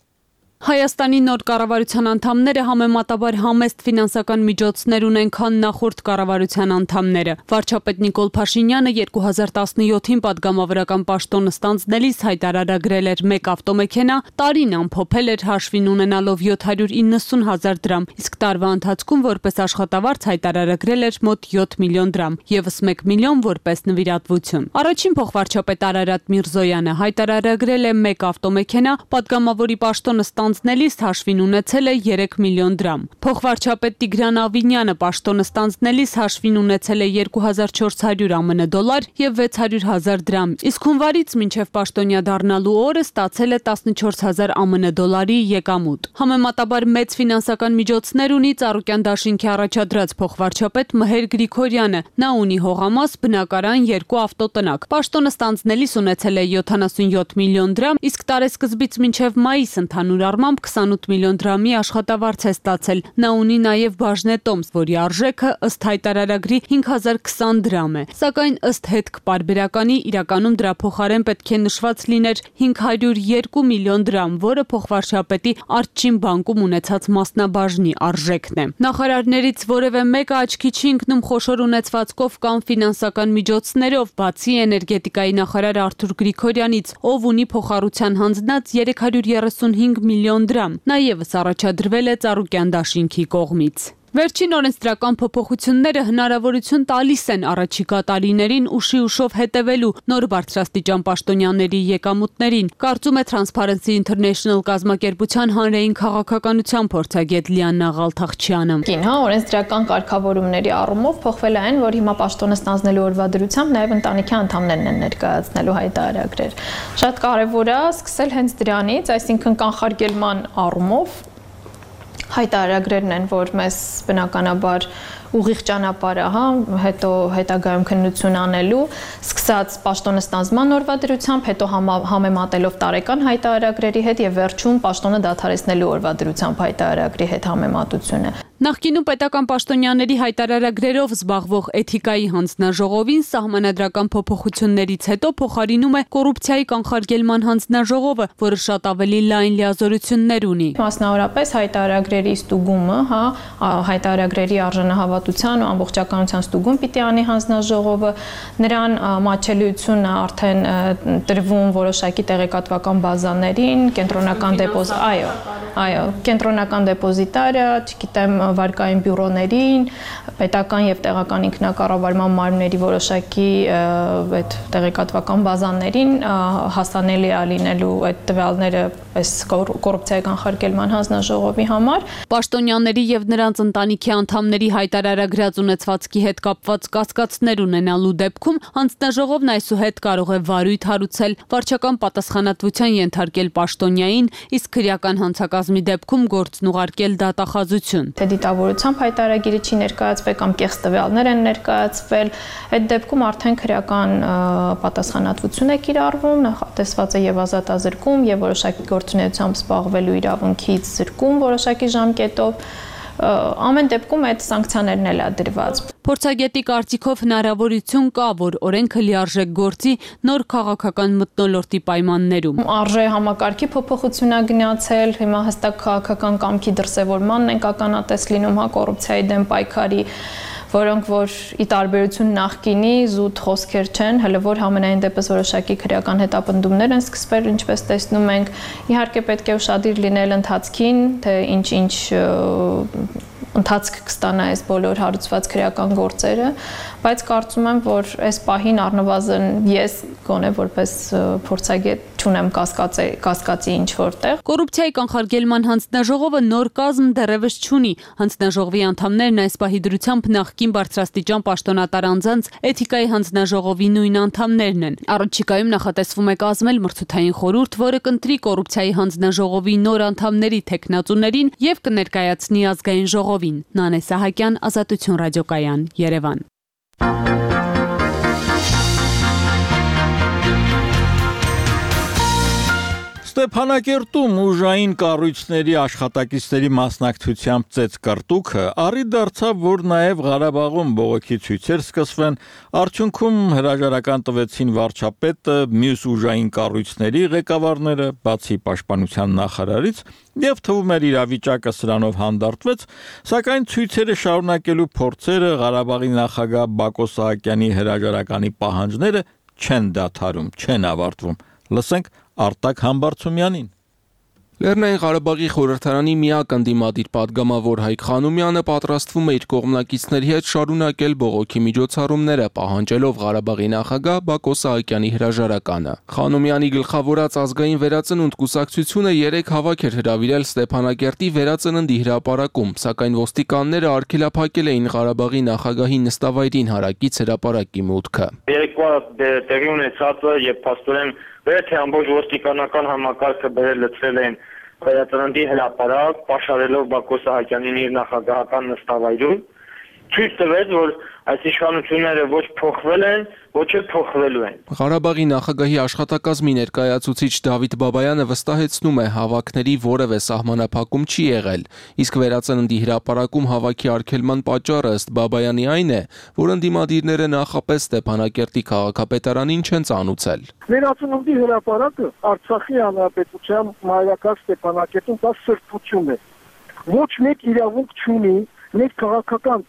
Հայաստանի նոր կառավարության անդամները համեմատաբար համեստ ֆինանսական միջոցներ ունեն, քան նախորդ կառավարության անդամները։ Վարչապետ Նիկոլ Փաշինյանը երկու հազար տասնյոթին падգամավորական պաշտոնը ստանձնելիս հայտարարագրել էր մեկ ավտոմեքենա, տարին ամփոփել էր հաշվին ունենալով յոթ հարյուր իննսուն հազար դրամ, իսկ տարվա ընթացքում որպես աշխատավարձ հայտարարագրել էր մոտ յոթ միլիոն դրամ, եւս մեկ միլիոն որպես նվիրատվություն։ Առաջին փոխվարչապետ Արարատ Միրզոյանը հայտարարագրել է մեկ ավտոմեքենա, падգամավորի պաշտոնը ստանձնելիս հաշվին ունեցել է երեք միլիոն դրամ։ Փոխվարչապետ Տիգրան Ավինյանը պաշտոնը ստանձնելիս հաշվին ունեցել է երկու հազար չորս հարյուր ԱՄՆ դոլար եւ վեց հարյուր հազար դրամ, իսկ հունվարից մինչեւ պաշտոնյա դառնալու օրը ստացել է տասնչորս հազար ԱՄՆ դոլարի եկամուտ։ Համեմատաբար մեծ ֆինանսական միջոցներ ունի Ծառուկյան դաշինքի առաջադրած փոխվարչապետ Մհեր Գրիգորյանը։ Նա ունի հողամաս, բնակարան, երկու ավտոտնակ։ Պաշտոնը ստանձնելիս ունեցել է յոթանասունյոթ միլիոն դրամ, իսկ տարեսկզբից մինչեւ մայիս ընդհանուր նկատմամբ քսանութ միլիոն դրամի աշխատավարձ է ստացել։ Նա ունի նաև բաժնե տոմս, որի արժեքը ըստ հայտարարագրի հինգ հազար քսան դրամ է։ Սակայն ըստ հետք պարբերականի իրականում դրա փոխարեն պետք է նշված լիներ հինգ հարյուր երկու միլիոն դրամ, որը փոխվարչապետի Արտչին բանկում ունեցած մասնաբաժնի արժեքն է։ Նախարարներից որևէ մեկը աչքի չի ընկնում խոշոր ունեցվածքով կամ ֆինանսական միջոցներով, բացի էներգետիկայի նախարար Արթուր Գրիգորյանից, ով ունի փոխառության հանձնած երեք հարյուր երեսունհինգ միլիոն դրամ։ Նա ևս առաջադրվել է Ծառուկյան դաշինքի կողմից։ Վերջին օրենսդրական փոփոխությունները հնարավորություն տալիս են առաջիկա տարիներին ուշի ուշով հետևելու նոր բարձրաստիճան պաշտոնյաների եկամուտներին, կարծում է Transparency International կազմակերպության հանրային քաղաքականության փորձագետ Լիաննա Ղալթախչյանը։ Կին, հա, օրենսդրական կարգավորումների առումով փոխվել է այն, որ հիմա պաշտոնը ստանձնելու օրվա դրությամբ նաև ընտանիքի անդամներն են ներկայացնելու հայտարարագրեր։ Շատ կարևոր է սկսել հենց դրանից, այսինքն կանխարգելման առումով հայտարարագրերն են, որ մեզ բնականաբար ուղիղ ճանապարհը, հա, հետո հետագայում քննություն անելու, սկսած պաշտոնը ստանձնման օրվա դրությամբ, հետո համեմատելով տարեկան հայտարարագրերի հետ եւ վերջում պաշտոնը դադարեցնելու օրվա դրությամբ հայտարարագրի հետ համեմատությունը։ Նախկինում պետական պաշտոնյաների հայտարարագրերով զբաղվող էթիկայի հանձնաժողովին սահմանադրական փոփոխություններից հետո փոխարինում է կոռուպցիայի կանխարգելման հանձնաժողովը, որը շատ ավելի լայն լիազորություններ ունի։ Մասնավորապես հայտարարագրերի ստուգումը, հա, հայտարարագրերի արժանահավատության ու ամբողջականության ստուգում պիտի անի հանձնաժողովը, նրան մատչելիությունը արդեն տրվում որոշակի տեղեկատվական բազաներին, կենտրոնական դեպոզ, այո, այո, կենտրոնական դեպոզիտարը, չգիտեմ, վարկային բյուրոներին, պետական եւ տեղական ինքնակառավարման մարմինների որոշակի այդ տեղեկատվական բազաներին հասանելի է լինելու այդ տվյալները այս կոռուպցիայի կանխարգելման հանձնաժողովի համար։ Պաշտոնյաների եւ նրանց ընտանիքի անդամների հայտարարագրած ունեցվածքի հետ կապված կասկածներ ունենալու դեպքում հանձնաժողովն այսուհետ կարող է վարույթ հարուցել, վարչական պատասխանատվության ենթարկել պաշտոնյային, իսկ քրեական հանցակազմի դեպքում գործն ուղարկել դատախազություն։ Թե դիտավորությամբ հայտարարագիրը չի ներկայացվել կամ կեղծ տվյալներ են ներկայացվել, այդ դեպքում արդեն քրեական պատասխանատվություն է կիրառվում, նախատեսված է եւ ազատազրկում եւ որոշակի գործունեությամբ զբաղվելու իրավունքից զրկում որոշակի ժամկետով։ Ամեն դեպքում այդ սանկցիաներն էլ է դրված։ Փորձագետի կարծիքով հնարավորություն կա, որ օրենքը լիարժեք գործի նոր քաղաքական մթնոլորտի պայմաններում։ Արժե համակարգի փոփոխություն է գնացել, հիմա հստակ քաղաքական կամքի դրսևորմանն են ականատես լինում, հա, կոռուպցիայի դեմ պայքարի, որոնք որ ի տարբերություն նախկինի զուտ խոսքեր չեն, հələ որ համենայն դեպս որոշակի քրեական հետապնդումներ են սկսվել, ինչպես տեսնում ենք, իհարկե պետք է ուշադիր լինել ընթացքին, թե ինչ-ինչ ընթացք կստանա այս բոլոր հարուցված քրեական գործերը, բայց կարծում եմ, որ այս պահին առնվազն ես գոնե որպես փորձագետ չունեմ կասկածի, կասկածի ինչ որտեղ։ Կոռուպցիայի կանխարգելման հանձնաժողովը նոր կազմ դեռևս չունի։ Հանձնաժողովի անդամներն այս պահի դրությամբ նախկին բարձրաստիճան պաշտոնատար անձանց էթիկայի հանձնաժողովի նույն անդամներն են։ Առաջիկայում նախատեսվում է կազմել մրցութային խորհուրդ, որը կընտրի կոռուպցիայի հանձնաժողովի նոր անդամների թեկնածուներին եւ կներկայացնի ազգային ժողովին։ Նանե Սահակյան, Ազատություն ռադիոկայան, Երևան։ Ստեփանակերտում ուժային կառույցների աշխատակիցների մասնակցությամբ ծեծ կրտուքը առի դարձավ, որ նաև Ղարաբաղում բողոքի ցույցեր սկսվեն, արդյունքում հրաժարական տվեցին վարչապետը, մյուս ուժային կառույցների ղեկավարները, բացի պաշտպանության նախարարից, եւ թվում էր իրավիճակը սրանով հանդարտվեց, սակայն ցույցերը շարունակելու փորձերը Ղարաբաղի նախագահ Բակո Սահակյանի հրաժարականի պահանջները չեն դադարում, չեն ավարտվում։ Լսենք Արտակ Համբարձումյանին։ Լեռնային Ղարաբաղի խորհրդարանի միակ ընդդիմադիր պատգամավոր Հայկ Խանոմյանը պատրաստվում է իր կողմնակիցների հետ շարունակել բողոքի միջոցառումները, պահանջելով Ղարաբաղի նախագահ Բակո Սահակյանի հրաժարականը։ Խանոմյանի գլխավորած ազգային վերածնունդ կուսակցությունը երեք հավաք էր հրավիրել Ստեփանակերտի վերածննդի հրապարակում, սակայն ոստիկանները արգելափակել էին Ղարաբաղի նախագահի նստավայրին հարակից հրապարակի մուտքը։ Երեկվա տեղի ունեցածը եւ փաստորեն Վերթե ամբողջ ոստիկանական համակարգը բերել լցրել են վերածննդի հրապարակ, պաշարելով Բակո Սահակյանին իր նախագահական նստավայրում։ ցույց տվեց, որ այս իշխանությունները ոչ փոխվել են, ոչ էլ փոխվելու են։ Ղարաբաղի նախագահի աշխատակազմի ներկայացուցիչ Դավիթ Բաբայանը վստահեցնում է, հավաքների որևէ սահմանափակում չի եղել, իսկ վերածննդի հրապարակում հավաքի արգելման պատճառը ըստ Բաբայանի այն է, որ ընդդիմադիրները նախապես Ստեփանակերտի քաղաքապետարանին չեն ծանուցել։ Վերածննդի հրապարակը Արցախի հանրապետության մայրաքաղաք Ստեփանակերտում դա սրբություն է։ Ոչ մեկ իրավունք չունի մեր քաղաքական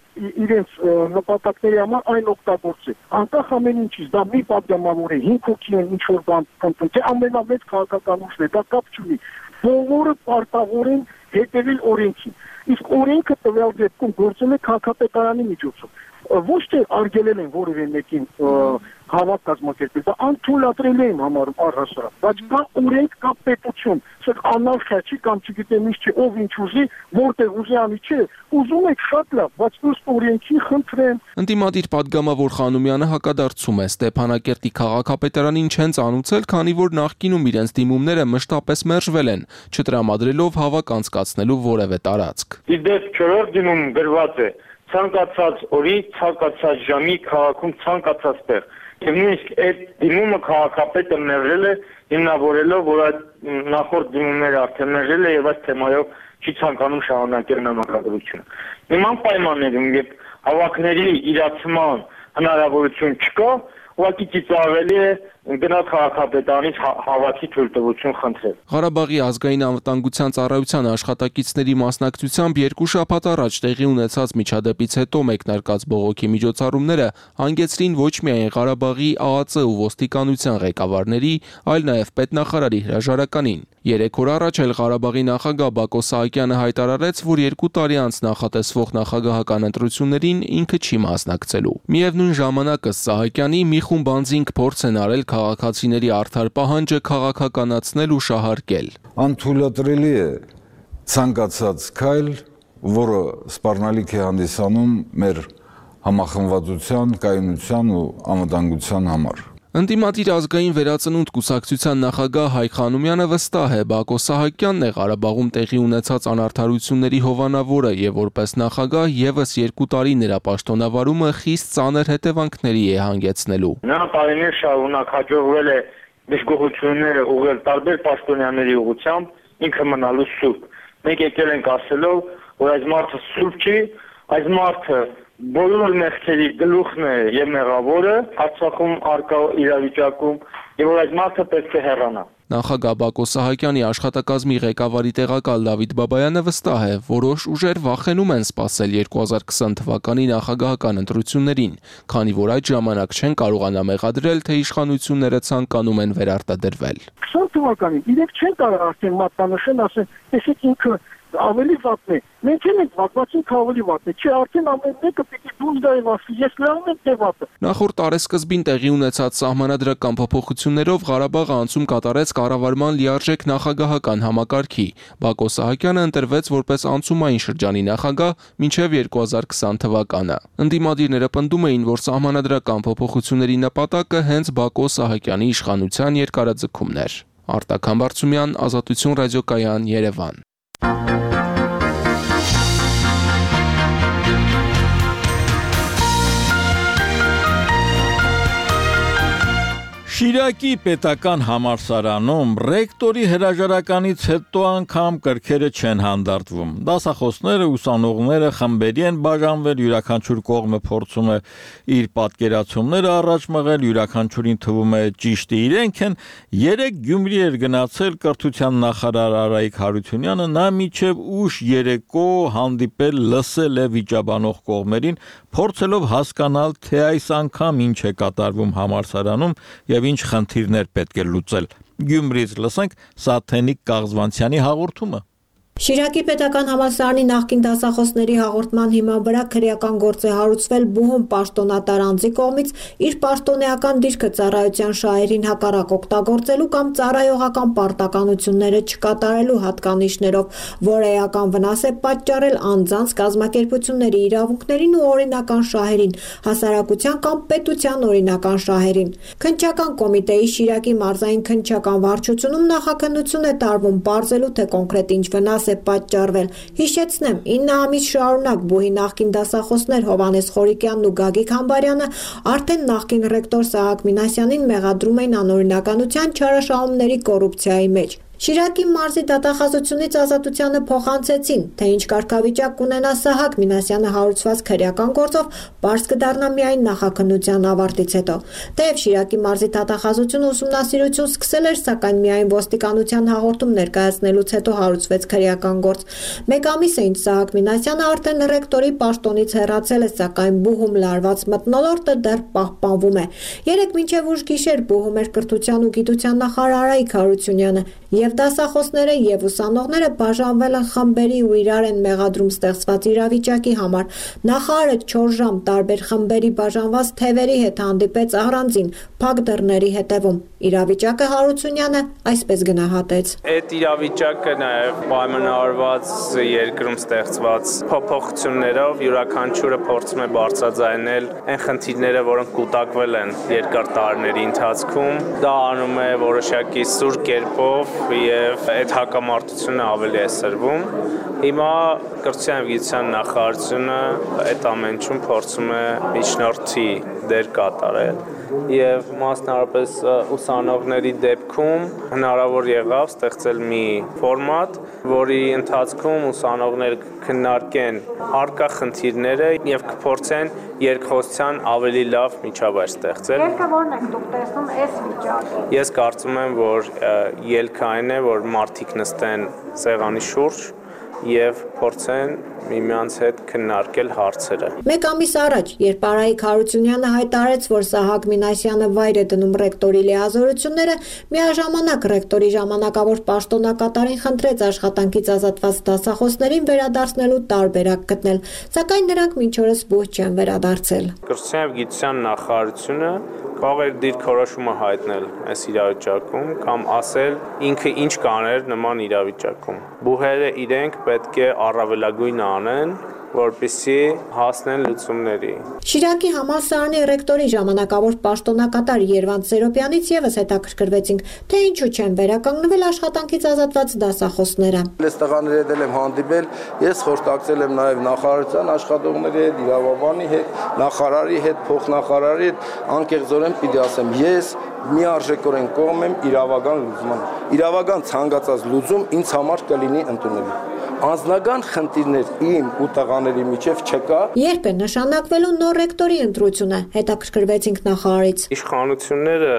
իրենց նպատակների համար այն օգտագործել։ Անկախ ամեն ինչից, դա մի պատգամավոր է, հինգ հոգի են ինչ-որ բան փնտրում, թե ամենամեծ քաղաքական ուժն է, դա կապ չունի։ Բոլորը պարտավոր են հետևել օրենքին։ Իսկ օրենքը տվյալ դեպքում գործել է քաղաքապետարանի միջոցով։ Ոչ թե արգելել են որևէ մեկին հավաք կազմակերպել, դա անթույլատրել են համարում առհասարակ, բայց կա օրենք, կա պետություն, սա անարխիա չի կամ չգիտեմ ինչ չի, ով ինչ ուզի, որտեղ ուզի անի չէ, ուզում եք շատ լավ, բայց ըստ օրենքի խնդրեմ։ Ընդդիմադիր պատգամավոր Խանոմյանը հակադարձում է, Ստեփանակերտի քաղաքապետարանին չեն ծանուցել, քանի որ նախկինում իրենց դիմումները մշտապես մերժվել են, չտրամադրելով հավաք անցկացնելու որևէ տարածք։ Իդեպ չորրորդ դիմում գրված է ցանկացած օրի, ցանկացած ժամի քաղաքում ցանկացած տեղ։ Եվ նույնիսկ այդ դիմումը քաղաքապետը մերժել է, հիմնավորելով, որ այդ նախորդ դիմումները արդեն մերժել է եւ այս թեմայով չի ցանկանում շարունակել նամակագրությունը։ Նման պայմաններում, երբ հավաքների իրացման հնարավորություն չկա, ուղղակի ծիծաղելի է գնալ քաղաքապետարանից հավաքի թույլտվություն խնդրել։ Ղարաբաղի ազգային անվտանգության ծառայության աշխատակիցների մասնակցությամբ երկու շաբաթ առաջ տեղի ունեցած միջադեպից հետո մեկնարկած բողոքի միջոցառումները հանգեցրին ոչ միայն Ղարաբաղի Ա Ա Ծ ու ոստիկանության ղեկավարների, այլ նաև պետնախարարի հրաժարականին։ Երեք օր առաջ էլ Ղարաբաղի նախագահ Բակո Սահակյանը հայտարարեց, որ երկու տարի անց նախատեսվող նախագահական ընտրություններին ինքը չի մասնակցելու։ Միևնույն ժամանակ ըստ Սահակյանի մի խումբ անձինք փորձ են արել քաղաքացիների արդար պահանջը քաղաքականացնել ու շահարկել։ Անթույլատրելի է ցանկացած քայլ, որը սպառնալիք է հանդիսանում մեր համախմբվածության, կայունության ու անվտանգության համար։ Ընդդիմադիր ազգային վերածնունդ կուսակցության նախագահ Հայկ Խանոմյանը վստահ է, Բակո Սահակյանն է Ղարաբաղում տեղի ունեցած անարդարությունների հովանավորը եւ որպես նախագահ եւս երկու տարի նրա պաշտոնավարումը խիստ ծանր հետևանքների է հանգեցնելու։ Նա տարիներ շարունակ հաջողվել է դժգոհությունները ուղղել տարբեր պաշտոնյաների ուղղությամբ, ինքը մնալու սուրբ։ Մենք եկել ենք ասելով, որ այս մարդը սուրբ չի, այս մարդը բոլոր մեղքերի գլուխն է եւ մեղավորը Արցախում արկա իրավիճակում եւ որ այս մարդը պետք է հեռանա։ Նախագահ Բակո Սահակյանի աշխատակազմի ղեկավարի տեղակալ Դավիթ Բաբայանը վստահ է, որոշ ուժեր վախենում են սպասել երկու հազար քսան թվականի նախագահական ընտրություններին, քանի որ այդ ժամանակ չեն կարողանա մեղադրել, թե իշխանությունները ցանկանում են վերարտադրվել։ քսան թվականին իրենք չեն կարող արդեն մատնանշեն, ասեն, տեսեք ինքը ավելի վատն է։ Մենք էլ ենք վատ, բայց ինքը ավելի վատն է։ Չէ, արդեն ամեն մեկը պիտի դուրս գա եւ ասի, ես լավն եմ, թե վատը։ Նախորդ տարեսկզբին տեղի ունեցած սահմանադրական փոփոխություններով Ղարաբաղը անցում կատարեց կառավարման լիարժեք նախագահական համակարգի։ Բակո Սահակյանը ընտրվեց որպես անցումային շրջանի նախագահ մինչև երկու հազար քսան թվականը։ Ընդդիմադիրները պնդում էին, որ սահմանադրական փոփոխությունների նպատակը հենց Բակո Սահակյանի իշխանության երկարաձգումն էր։ Արտակ Համբարձումյան, Ազատություն ռադիոկայան, Երևան։ Շիրակի պետական համալսարանում ռեկտորի հրաժարականից հետո անգամ կրքերը չեն հանդարտվում։ Դասախոսները, ուսանողները խմբերի են բաժանվել, յուրաքանչյուր կողմը փորձում է իր պատկերացումները առաջ մղել, յուրաքանչյուրին թվում է ճիշտը իրենք են։ Երեք Գյումրի էր գնացել կրթության նախարար Արայիկ Հարությունյանը, նա մինչև ուշ երեկո հանդիպել, լսել է վիճաբանող կողմերին, փորձելով հասկանալ, թե այս անգամ ինչ է կատարվում համալսարանում եւ ինչ խնդիրներ պետք է լուծել։ Գյումրիից լսենք Սաթենիկ Կաղզվանցյանի հաղորդումը։ Շիրակի պետական համալսարանի նախկին դասախոսների հաղորդման հիման վրա քրեական գործ է հարուցվել Բուհում պաշտոնատար անձի կողմից իր պաշտոնեական դիրքը ծառայության շահերին հակառակ օգտագործելու կամ ծառայողական պարտականությունները չկատարելու հատկանիշներով, որ էական վնաս է պատճառել անձանց, կազմակերպությունների իրավունքներին ու օրինական շահերին, հասարակության կամ պետության օրինական շահերին։ Քննչական կոմիտեի Շիրակի մարզային քննչական վարչությունում նախաքննություն է տարվում, պարզելու թե կոնկրետ ինչ վնաս է պատճառվել։ Հիշեցնեմ, ինը ամիս շարունակ բուհի նախկին դասախոսներ Հովհաննես Խորիկյանն ու Գագիկ Համբարյանը արդեն նախկին ռեկտոր Սահակ Մինասյանին մեղադրում էին անօրինականության, չարաշահումների, կոռուպցիայի մեջ։ Շիրակի մարզի դատախազությունից ազատությանը փոխանցեցին, թե ինչ կարգավիճակ կունենա Սահակ Մինասյանը հարուցված քրեական գործով, բարձ կդառնա միայն նախաքննության ավարտից հետո։ Թեև Շիրակի մարզի դատախազությունը ուսումնասիրություն սկսել էր, սակայն միայն ոստիկանության հաղորդում ներկայացնելուց հետո հարուցվեց քրեական գործ։ Մեկ ամիս է ինչ Սահակ Մինասյանը արդեն ռեկտորի պաշտոնից հեռացել է, սակայն բուհում լարված մթնոլորտը դեռ պահպանվում է։ Երեկ մինչև ուշ գիշեր բուհում էր կրթության ու գիտության նախարար Արայիկ Հարությունյանը, եւ դասախոսները եւ ուսանողները բաժանվել են խմբերի ու իրար են մեղադրում ստեղծված իրավիճակի համար։ Նախարարը չորս ժամ տարբեր խմբերի բաժանված թևերի հետ հանդիպեց առանձին փակ դռների հետևում։ Իրավիճակը Հարությունյանը այսպես գնահատեց. Այդ իրավիճակը նաեւ պայմանավորված երկրում ստեղծված փոփոխություններով յուրաքանչյուրը փորձում է բարձրաձայնել այն խնդիրները, որոնք կուտակվել են երկար տարիների ընթացքում։ Դա անում է որոշակի սուր կերպով եւ այդ հակամարտությունը ավելի է սրվում։ Հիմա կրթության եւ գիտության նախարարությունը այդ ամենում փորձում է միջնորդի դեր կատարել եւ մասնավորապես ուսանողների դեպքում հնարավոր եղավ ստեղծել մի ֆորմատ, որի ընթացքում ուսանողները քննարկեն առկա խնդիրները եւ կփորձեն երկխոսության ավելի լավ միջավայր ստեղծել։ Ելքը ո՞րն եք դուք տեսնում այս վիճակին։ Ես կարծում եմ, որ ելքը այն է, որ մարդիկ նստեն սեղանի շուրջ եւ փորձեն միմյանց հետ քննարկել հարցերը։ Մեկ ամիս առաջ, երբ Արայիկ Հարությունյանը հայտարարեց, որ Սահակ Մինասյանը վայր է դնում ռեկտորի լիազորությունները, միաժամանակ ռեկտորի ժամանակավոր պաշտոնակատարին խնդրեց աշխատանքից ազատված դասախոսներին վերադարձնելու տարբերակ գտնել, սակայն նրանք մինչ օրս բուհ չեն վերադարձել։ Կրթության եւ գիտության նախարարությունը կարող է դիրքորոշումը հայտնել այս իրավիճակում կամ ասել ինքը ինչ կաներ նման իրավիճակում։ Բուհերը իրենք պետք է առավելագույնը անեն, որպեսզի հասնեն լուծումների։ Շիրակի համալսարանի ռեկտորի ժամանակավոր պաշտոնակատար Երվանդ Սերոպյանից եւս հետաքրքրվեցինք, թե ինչու չեն վերականգնվել աշխատանքից ազատված դասախոսները։ Ես տղաների հետ եմ հանդիպել, ես խորհրդակցել եմ նաեւ նախարարության աշխատողների հետ, իրավաբանի հետ, նախարարի հետ, փոխնախարարի հետ, անկեղծորեն պիտի ասեմ, ես միարժեքորեն կողմ եմ իրավական լուծման։ Իրավական ցանկացած լուծում ինձ համար կլինի ընդունելի։ Անձնական խնդիրներ իմ ու տղաների միջև չկա։ Երբ է նշանակվելու նոր ռեկտորի ընտրությունը, հետաքրքրվեցինք նախարարից։ Իշխանությունները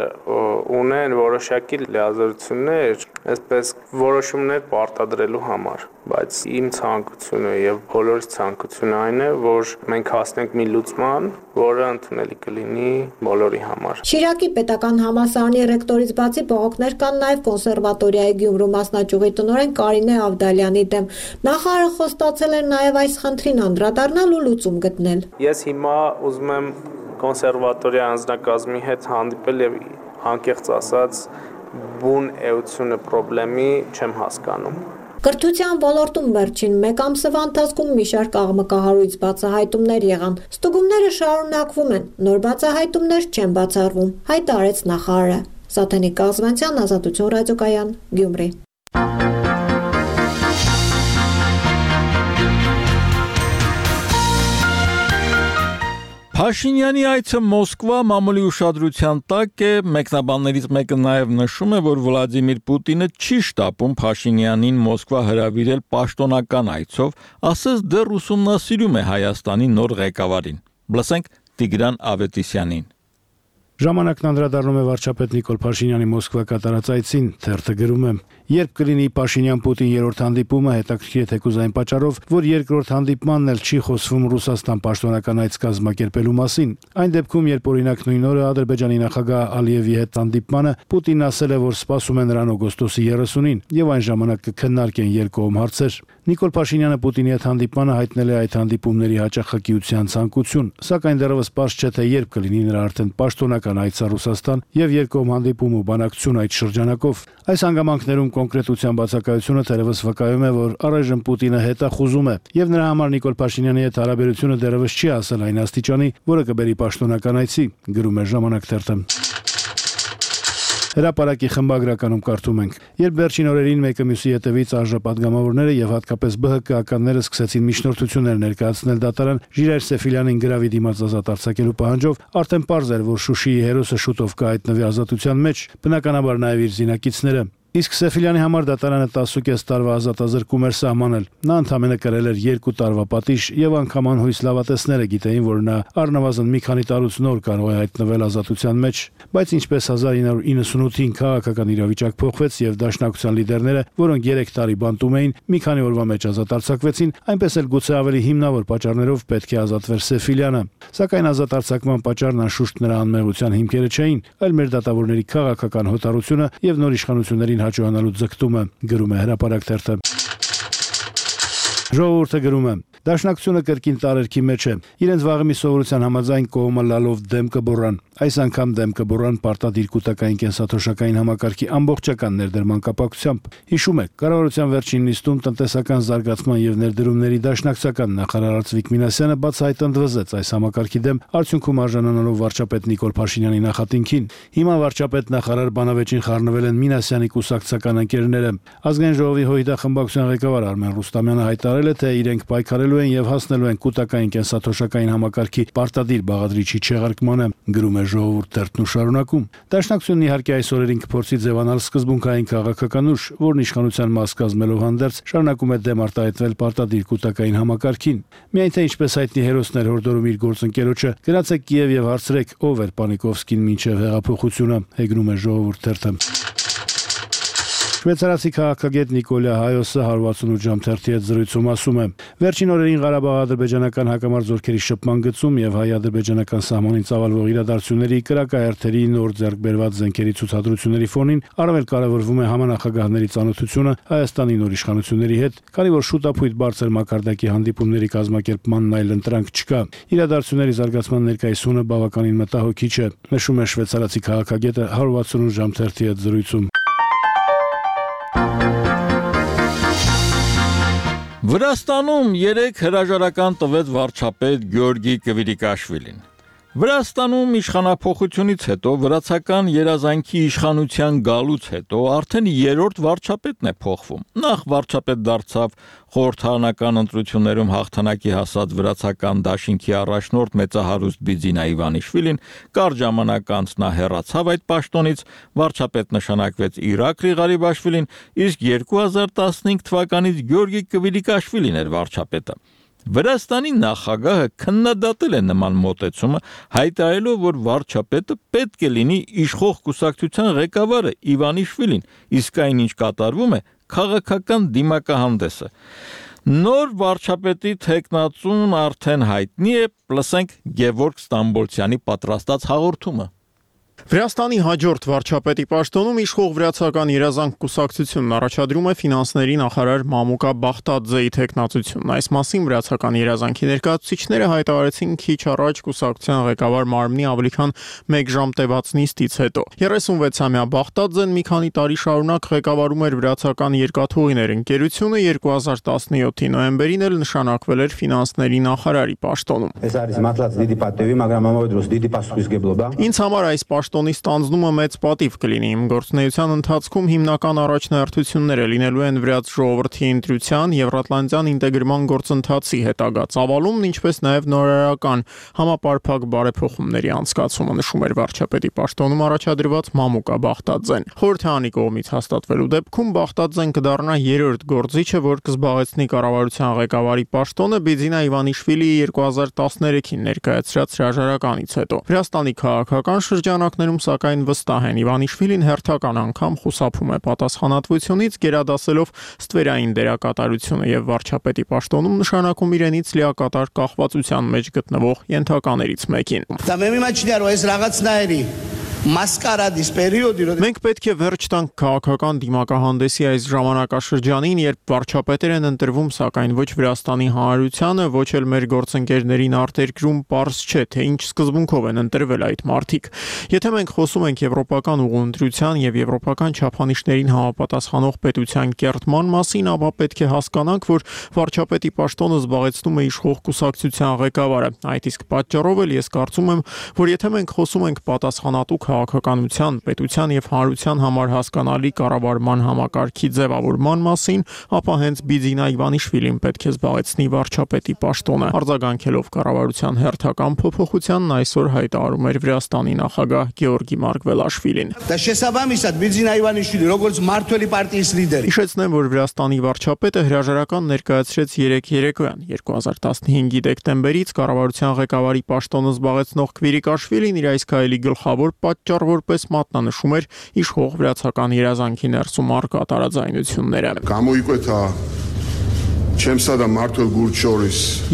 ունեն որոշակի լիազորություններ, այսպես որոշումներ պարտադրելու համար, բայց իմ ցանկությունը եւ բոլորի ցանկությունը այն է, որ մենք հասնենք մի լուծման, որը ընդունելի կլինի բոլորի համար։ Շիրակի պետական համալսարանի ռեկտորից բացի բողոքներ կան նաեւ կոնսերվատորիայի Գյումրու մասնաճյուղի տնօրեն Կարինե Ավդալյանի դեմ։ Նախարարը խոստացել էր նաև այս խնդրին անդրադառնալ ու լուծում գտնել։ Ես հիմա ուզում եմ կոնսերվատորիա անձնակազմի հետ հանդիպել եւ անկեղծ ասած բուն էությունը խնդրի չեմ հասկանում։ Կրթության ոլորտում վերջին մեկ ամսվա ընթացքում մի շարք աղմկահարույց բացահայտումներ եղան։ Ստուգումները շարունակվում են, նոր բացահայտումներ չեն բացառվում, հայտարարեց նախարարը։ Սաթենիկ Կազվանցյան, Ազատություն ռադիոկայան, Գյումրի։ Փաշինյանի այցը Մոսկվա մամուլի ուշադրության տակ է, մեկնաբաններից մեկը նաև նշում է, որ Վլադիմիր Պուտինը չի շտապում Փաշինյանին Մոսկվա հրավիրել պաշտոնական այցով, ասես դեռ ուսումնասիրում է Հայաստանի նոր ղեկավարին։ Լսենք Տիգրան Ավետիսյանին։ Ժամանակն անդրադառնում է վարչապետ Նիկոլ Փաշինյանի Մոսկվա կատարած այցին, թերթը գրում է. Երբ կլինի Փաշինյան-Պուտին երրորդ հանդիպումը, հետաքրքիր է թեկուզ այն պատճառով, որ երկրորդ հանդիպմանն էլ չի խոսվում Ռուսաստան պաշտոնական այց կազմակերպելու մասին։ Այն դեպքում, երբ օրինակ նույն օրը Ադրբեջանի նախագահ Ալիևի հետ հանդիպմանը Պուտինն ասել է, որ սպասում են նրան օգոստոսի երեսունին, եւ այն ժամանակ կքննարկեն երկկողմ հարցեր։ Նիկոլ Փաշինյանը Պուտինի հետ հանդիպմանը հայտնել է այդ հանդիպումների հաճախակիության ցանկություն, սակայն դեռևս պարզ չէ, թե երբ կլինի նրա արդեն պաշտոնական այցը Ռուսաստան եւ երկկողմ հանդիպում ու բանակցություն այդ շրջանակով։ Այս հանգամանքներում կոնկրետության բացակայությունը թերևս վկայում է, որ առայժմ Պուտինը հետախուզում է եւ նրա համար Նիկոլ Փաշինյանի հետ հարաբերությունը դեռևս չի հասել այն աստիճանի, որը կբերի պաշտոնական այցի, գրում է Ժամանակ թերթը։ Հրապարակի խմբագրականում կարդում ենք. Երբ վերջին օրերին մեկը մյուսի հետևից արժապատգամավորները եւ հատկապես ԲՀԿ-ականները սկսեցին միջնորդություններ ներկայացնել դատարան Ժիրայր Սեֆիլյանին գրավի դիմաց ազատ արձակելու պահանջով, արդեն պարզ էր, որ Շուշիի հերոսը շուտով կհայտնվի ազատության մեջ, բնականաբար նաեւ իր զինակիցները։ Իսկ Սեֆիլյանի համար դատարանը տասուկես տարվա ազատազրկում էր սահմանել։ Նա ընդամենը կրել էր երկու տարվա պատիժ եւ անգամ անհույս լավատեսները գիտեին, որ նա առնվազն մի քանի տարուց նոր կարող է հայտնվել ազատության մեջ, բայց ինչպես հազար ինը հարյուր իննսունութին քաղաքական իրավիճակ փոխվեց եւ դաշնակցության լիդերները, որոնք երեք տարի բանտում էին, մի քանի օրվա մեջ ազատ արձակվեցին, այնպես էլ գուցե ավելի հիմնավոր պատճառներով պետք է ազատվեր Սեֆիլյանը։ Սակայն ազատ արձակման պատճառն անշուշտ նրա անմեղության հիմքերը չէին, այլ մեր դատավորների քաղաքական հոտառությունը եւ նոր իշխանություններին հաջողանալու ձգտումը, գրում է Հրապարակ թերթը։ Ժողովուրդը գրում է. Դաշնակցությունը կրկին տարերքի մեջ է։ Իրենց վաղեմի սովորության համաձայն կողմը լալով դեմ կբոռան։ Այս անգամ դեմ կբոռան պարտադիր կൂട്ടակային կենսաթոշակային համակարգի ամբողջական ներդրման կապակցությամբ։ Հիշում եք, կառավարության վերջին նիստում տնտեսական զարգացման եւ ներդրումների դաշնակցական նախարար Արծվիկ Մինասյանը բացահայտ ընդվզեց այս համակարգի դեմ, արդյունքում արժանանալով վարչապետ Նիկոլ Փաշինյանի նախատինքին։ Հիմա վարչապետ նախարար բանավեճին խառնվել են Մինասյանի կուսակցական ընկերները։ Ազգային ժողովի ՀՅԴ խմբակցության ղեկավար Արմեն Ռուստամյանը հայտարարել է, թե իրենք պայքարելու են եւ հասնելու են կൂട്ടակային կենսաթոշակային համակարգի պարտադիր բաղադրիչի չեղարկմանը, գրում է Ժողովուրդ թերթն ու շարունակում։ Դաշնակցությունն իհարկե այս օրերին կփորձի ձևանալ սկզբունքային քաղաքական ուժ, որն իշխանության մաս կազմելով հանդերձ շարունակում է դեմ արտահայտվել պարտադիր կൂട്ടակային համակարգին։ Միայն թե ինչպես հայտնի հերոսն էր հորդորում իր գործընկերոջը, գնացեք Կիև եւ հարցրեք ով էր Պանիկովսկին մինչեւ հեղափոխությունը, հեգնում է Ժողովուրդ թերթը։ Շվեյցարացի քաղաքագետ Նիկոլա Հայոսը հարյուր վաթսունութ ժամ թերթի հետ զրույցում ասում է. Վերջին օրերին Ղարաբաղ-ադրբեջանական հակամարտ զորքերի շփման գծում եւ հայ-ադրբեջանական սահմանին ծավալվող իրադարձությունների կրակահերթերի նոր ձեռք բերված զենքերի ցուցադրությունների ֆոնին առավել կարևորվում է համանախագահների ծանոթությունը Հայաստանի նոր իշխանությունների հետ, քանի որ շուտապույտ բարձր մակարդակի հանդիպումների կազմակերպմանն այլ ընտրանք չկա։ Իրադարձությունների զարգացման ներկայացումը բավականին մտահոգիչ է, նշում է շվեյցարացի քաղաքագետը հարյուր վաթսունութ ժամ թերթի հետ զրույցում։ Վրաստանում երեք հրաժարական տվեց վարչապետ Գյորգի Կվիրիկաշվիլին։ Վրաստանում իշխանափոխությունից հետո վրացական երազանքի իշխանության գալուց հետո արդեն երրորդ վարչապետն է փոխվում։ Նախ վարչապետ դարձավ խորհրդարանական ընտրություններում հաղթանակի հասած վրացական դաշինքի առաջնորդ մեծահարուստ Բիձինա Իվանիշվիլին, կարճ ժամանակ անց նա հեռացավ այդ պաշտոնից, վարչապետ նշանակվեց Իրաք Ղարիբաշվիլին, իսկ երկու հազար տասնհինգ թվականից Գյորգի Կվիրիկաշվիլին էր վարչապետը։ Վրաստանի նախագահը քննադատել է նման մոտեցումը, հայտարարելով, որ վարչապետը պետք է լինի իշխող կուսակցության ղեկավարը Իվանիշվիլին, իսկ այն ինչ կատարվում է քաղաքական դիմակահանդեսը։ Նոր վարչապետի թեկնածուն արդեն հայտնի է, լսենք Գևորգ Ստամբոլցյանի պատրաստած հաղորդումը։ Վրաստանի հաջորդ վարչապետի պաշտոնում իշխող վրացական երազանք կուսակցությունն առաջադրում է ֆինանսների նախարար Մամուկա Բախտաձեի թեկնածությունն։ Այս մասին վրացական երազանքի ներկայացուցիչները հայտարարեցին քիչ առաջ կուսակցության ղեկավար մարմնի ավելի քան մեկ ժամ տևած նիստից հետո։ երեսունվեցամյա Բախտաձեն մի քանի տարի շարունակ ղեկավարում էր վրացական երկաթուղիներ ընկերությունը, երկու հազար տասնյոթի նոյեմբերին էլ նշանակվել էր ֆինանսների նախարարի պաշտոնում։ Ինձ համար այս պաշտոնի ստանձնումը մեծ պատիվ կլինի։ Իմ գործունեության ընթացքում հիմնական առաջնահերթությունները լինելու են վրաց ժողովրդի ընտրության, Եվրատլանտյան ինտեգրման գործընթացի հետագա ծավալումն, ինչպես նաև նորարարական համապարփակ բարեփոխումների անցկացումը, նշում էր վարչապետի պաշտոնում առաջադրված Մամուկա Բախտաձեն։ Խորհրդարանի կողմից հաստատվելու դեպքում Բախտաձեն կդառնա երրորդ գործիչը, որ կզբաղեցնի կառավարության ղեկավարի պաշտոնը Բիձինա Իվանիշվիլիի երկու հազար տասներեքին ներկայացրած հրաժարականից հետո։ Վրաստանի քաղաքական շրջանակներում սակայն վստահ են Իվանիշվիլին հերթական անգամ խուսափում է պատասխանատվությունից, գերադասելով ստվերային դերակատարությունը եւ վարչապետի պաշտոնում նշանակում իրենից լիակատար կախվածության մեջ գտնվող ենթականերից մեկին։ Մենք պետք է վերջ տանք քաղաքական դիմակահանդեսի այս ժամանակաշրջանին, երբ վարչապետեր են ընտրվում, սակայն ոչ Վրաստանի հանրությանը, ոչ էլ մեր գործընկերներին արտերկրում պարզ չէ, թե ինչ սկզբունքով են ընտրվել այդ մարդիկ։ Եթե մենք խոսում ենք եվրոպական ուղղընտրության եւ եվրոպական չափանիշներին համապատասխանող պետության կերտման մասին, ապա պետք է հասկանանք, որ վարչապետի պաշտոնը զբաղեցնում է իշխող կուսակցության ղեկավարը։ Այդ իսկ պատճառով էլ ես կարծում եմ, որ եթե մենք խոսում ենք պատասխանատու քաղաքականության, պետության եւ հանրության համար հասկանալի կառավարման համակարգի ձևավորման մասին, ապա հենց Բիձինա Իվանիշվիլին պետք է զբաղեցնի վարչապետի պաշտոնը։ Արձագանքելով կառավարության հերթական փոփոխությանն այսօր հայտարարում էր Վրաստանի նախագահ Գեորգի Մարգվելաշվիլին։ Հիշեցնեմ, որ Վրաստանի վարչապետը հրաժարական ներկայացրեց երեկ երեկոյան երկու հազար տասնհինգի դեկտեմբերից կառավարության ղեկավարի պաշտոնը զբաղեցնող Քվիրիկաշվիլին իր այս քայլի գլխավոր պատճառ որպես մատնանշում էր իշխող վրացական երազանքի ներսում առկա տարաձայնությունները։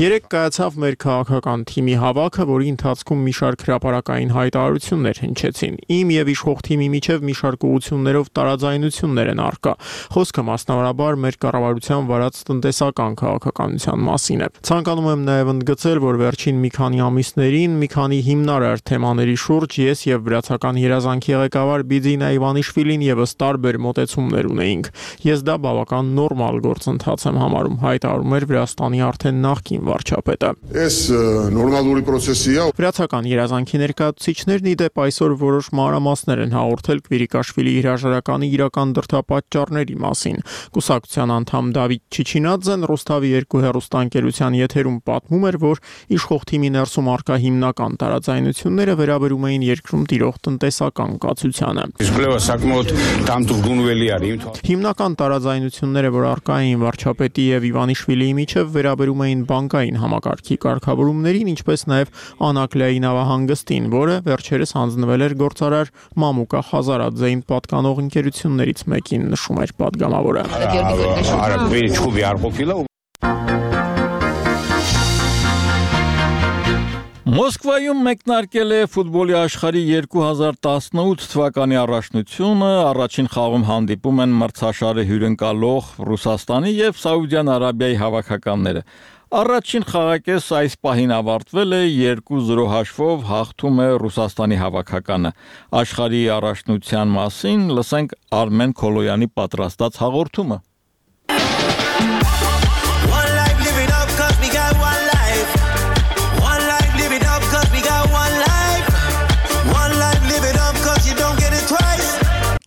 Երեք կայացավ մեր քաղաքական թիմի հավաքը, որի ընթացքում մի շարք հրապարակային հայտարարություններ հնչեցին։ Իմ եւ իշխող թիմի միջև մի շարք ուղղություններով տարաձայնություններ են առկա։ Խոսքը մասնավորաբար մեր կառավարության վարած տնտեսական քաղաքականության մասին է։ Ցանկանում եմ նաեւ ընդգծել, որ վերջին մի քանի ամիսներին մի քանի հիմնարար թեմաների շուրջ ես եւ վրացական երազանքի ղեկավար Բիձինա Իվանիշվիլին եւս տարբեր մոտեցումներ ունեինք։ Ես դա բավական նորմալ գործընթաց եմ համարում, հայտարարում էր Վրաստանի արդեն նախկին վարչապետը։ Այս նորմալուրի process-ի է։ Վրացական երազանքի ներկայացուցիչներն ի դեպ այսօր որոշ մանրամասներ են հաղորդել Քվիրիկաշվիլի հրաժարականի իրական դրդապատճառների մասին։ Կուսակցության անդամ Դավիթ Չիչինաձեն Ռոստավի երկու հեռուստաընկերության եթերում պատմում էր, որ իշխող թիմի ներսում առկա հիմնական տարաձայնությունները վերաբերում էին երկրում տիրող տնտեսական կացությանը։ Հիմնական տարաձայնությունները, որ առկա էին վարչապետի եւ Իվանիշվիլիի միջև վերաբերում էին բանկային համակարգի կարգավորումներին, ինչպես նաև Անակլիայի նավահանգստին, որը վերջերս հանձնվել էր գործարար Մամուկա Խազարաձեին պատկանող ընկերություններից մեկին, նշում էր պատգամավորը։ Մոսկվայում մեկնարկել է ֆուտբոլի աշխարհի երկու հազար տասնութ թվականի առաջնությունը, առաջին խաղում հանդիպում են մրցաշարը հյուրընկալող Ռուսաստանի եւ Սաուդյան Արաբիայի հավաքականները։ Առաջին խաղակեսը այս պահին ավարտվել է երկու զրո հաշվով, հաղթում է Ռուսաստանի հավաքականը։ Աշխարհի առաջնության մասին լսենք Արմեն Քոլոյանի պատրաստած հաղորդումը։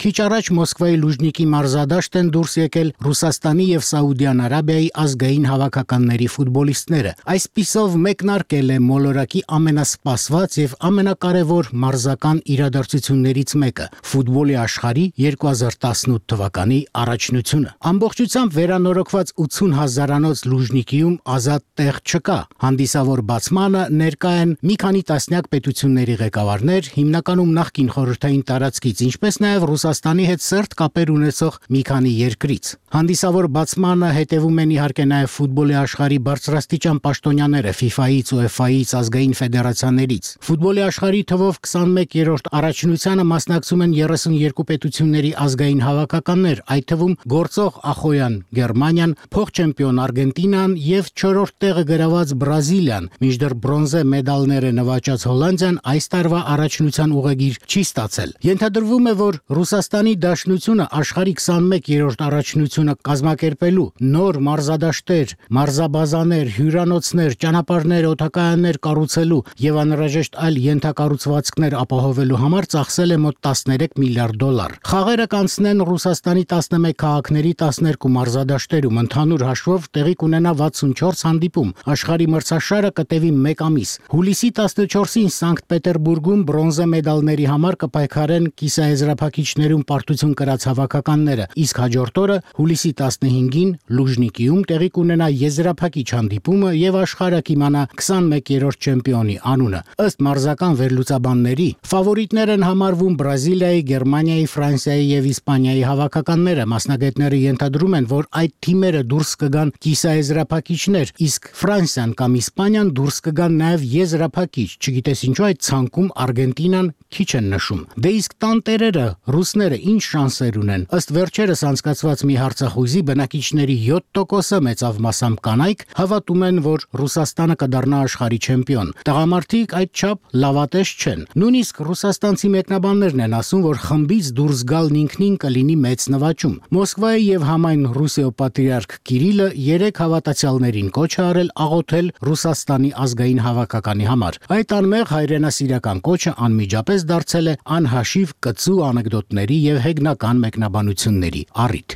Քիչ առաջ Մոսկվայի Լուժնիկի մարզադաշտ են դուրս եկել Ռուսաստանի եւ Սաուդյան Արաբիայի ազգային հավաքականների ֆուտբոլիստները։ Այսպիսով մեկնարկել է մոլորակի ամենասպասված եւ ամենակարևոր մարզական իրադարձություններից մեկը՝ ֆուտբոլի աշխարհի երկու հազար տասնութ թվականի առաջնությունը։ Ամբողջությամբ վերանորոգված ութուն հազարանոց Լուժնիկիում ազատ տեղ չկա։ Հանդիսավոր բացմանը ներկա են մի քանի տասնյակ պետությունների ղեկավարներ, հիմնականում նախկին խորհրդային տարածքից, ինչպես նաեւ Ռուսաստանի հետ սերտ կապեր ունեցող մի քանի երկրից։ Հանդիսավոր բացմանը հետևում են իհարկե նաև ֆուտբոլի աշխարհի բարձրաստիճան պաշտոնյաները FIFA-ից, UEFA-ից, ազգային ֆեդերացիաներից։ Ֆուտբոլի աշխարհի թվով քսանմեկերորդ առաջնությանը մասնակցում են երեսունյոթ պետությունների ազգային հավաքականներ, այդ թվում գործող Ախոյան Գերմանիան, փոխ-չեմպիոն Արգենտինան եւ չորրորդ տեղը գրաված Բրազիլիան, մինչդեռ բրոնզե մեդալները նվաճած Հոլանդիան այս տարվա առաջնության ուղեգիր չի ստացել։ Ենթադրվում է, որ Ռուսաստանի Դաշնությունը աշխարհի քսանմեկերորդ առաջնությունը կազմակերպելու նոր մարզադաշտեր, մարզաբազաներ, հյուրանոցներ, ճանապարհներ, օդակայաններ կառուցելու եւ անհրաժեշտ այլ ենթակառուցվածքներ ապահովելու համար ծախսել է մոտ տասներեք միլիարդ դոլար։ Խաղերը կանցնեն Ռուսաստանի տասնմեկ քաղաքների տասներկու մարզադաշտերում, ընդհանուր հաշվով տեղի կունենա վաթսունչորս հանդիպում։ Աշխարհի մրցաշարը կտևի մեկ ամիս։ Հուլիսի տասնչորսին Սանկտ Պետերբուրգում բրոնզե մեդալների համար կպայքարեն կիսաեզրափակիչներում պարտություն կրած հավաքականները, իսկ հաջորդ օրը հուլիսի տասնհինգին Լուժնիկիում տեղի կունենա եզրափակիչ հանդիպումը եւ աշխարհը կիմանա քսանմեկերորդ չեմպիոնի անունը։ Ըստ մարզական վերլուծաբանների, ֆավորիտներ են համարվում Բրազիլիայի, Գերմանիայի, Ֆրանսիայի եւ Իսպանիայի հավաքականները։ Մասնագետները ենթադրում են, որ այդ թիմերը դուրս կգան կիսաեզրափակիչներ, իսկ Ֆրանսիան կամ Իսպանիան դուրս կգան նաեւ եզրափակիչ։ Չգիտես ինչու այդ ցանկում Արգենտինան քիչ են նշում։ Դե իսկ տանտերերը ռուս հյուսիսացիները ինչ շանսեր ունեն։ Ըստ վերջերս անցկացված մի հարցախույզի բնակիչների յոթ տոկոսը մեծավ մասամբ կանայք հավատում են, որ Ռուսաստանը կդառնա աշխարհի չեմպիոն։ Տղամարդիկ այդչափ լավատես չեն։ Նույնիսկ ռուսաստանցի մեկնաբաններն են ասում, որ խմբից դուրս գալն ինքնին կլինի մեծ նվաճում։ Մոսկվայի եւ համայն Ռուսիո պատրիարք Կիրիլը երեք հավատացյալներին կոչ է արել աղոթել Ռուսաստանի ազգային հավաքականի համար։ Այդ անմեղ հայրենասիրական կոչը անմիջապես դարձել է անհաշիվ կծու անեկդոտների եւ հեգնական մեկնաբանությունների առիթ։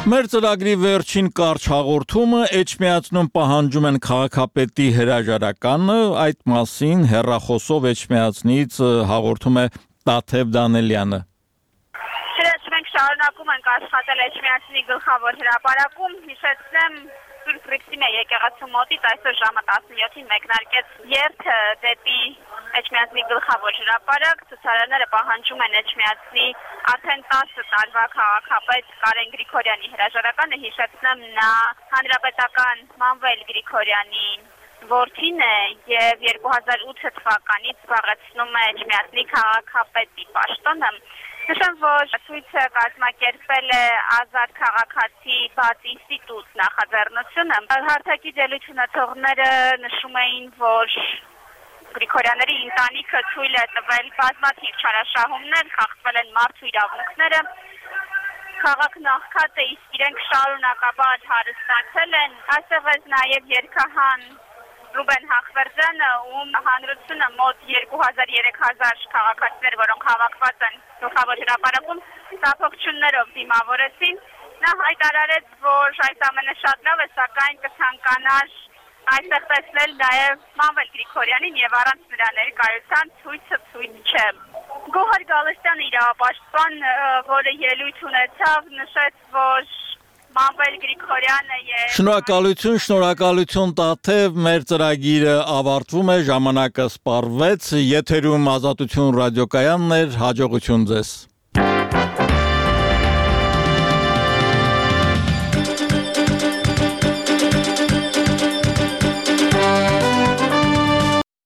Մեր ծրագրի վերջին կարճ հաղորդումը Էջմիածնում պահանջում են քաղաքապետի հրաժարականը, այդ մասին հեռախոսով Էջմիածնից հաղորդում է Տաթև Դանելյանը։ Մենք շարունակում ենք աշխատել Էջմիածնի գլխավոր հրապարակում, հիշեցնեմ Սուրբ Ռիքսիմե եկեղեցու մոտից այսօր ժամը տասնյոթին մեկնարկեց երթը դեպի Էջմիածնի գլխավոր հրապարակ, ցուցարարները պահանջում են Էջմիածնի արդեն տասը տարվա քաղաքապետ Կարեն Գրիգորյանի հրաժարականը, հիշեցնեմ նա հանրապետական Մանվել Գրիգորյանի որդին է եւ երկու հազար ութ թվականից զբաղեցնում է Էջմիածնի քաղաքապետի պաշտոնը։ Նշեմ, որ ցույցը կազմակերպել է Ազատ քաղաքացի բաց ինստիտուտ նախաձեռնությունը։ Հարթակի ելույթ ունեցողները նշում էին, որ Գրիգորյանների ընտանիքը թույլ է տվել բազմաթիվ չարաշահումներ, խախտվել են մարդու իրավունքները։ Քաղաքն աղքատ է, իսկ իրենք շարունակաբար հարստացել են։ Այստեղ է նաև երգահան Ռուբեն Հախվերդյանը, ում հանրությունը մոտ երկու հազար երեք հազար քաղաքացիներ, որոնք հավաքված են գլխավոր հրապարակում, տափողջություններով դիմավորեցին։ Նա հայտարարեց, որ այս ամենը շատ լավ է, սակայն կցանկանար այստեղ տեսնել նաև Մանվել Գրիգորյանին եւ առանց նրա ներկայության ցույցը ցույց չէ։ Գոհար Գալստյանը իրավապաշտպան, որը ելույթ ունեցավ, նշեց, որ Մանվել Գրիգորյանը եւ Շնորհակալություն, շնորհակալություն Տաթև, մեր ծրագիրը ավարտվում է, ժամանակը սպառվեց, եթերում Ազատություն ռադիոկայանն էր, հաջողություն ձեզ։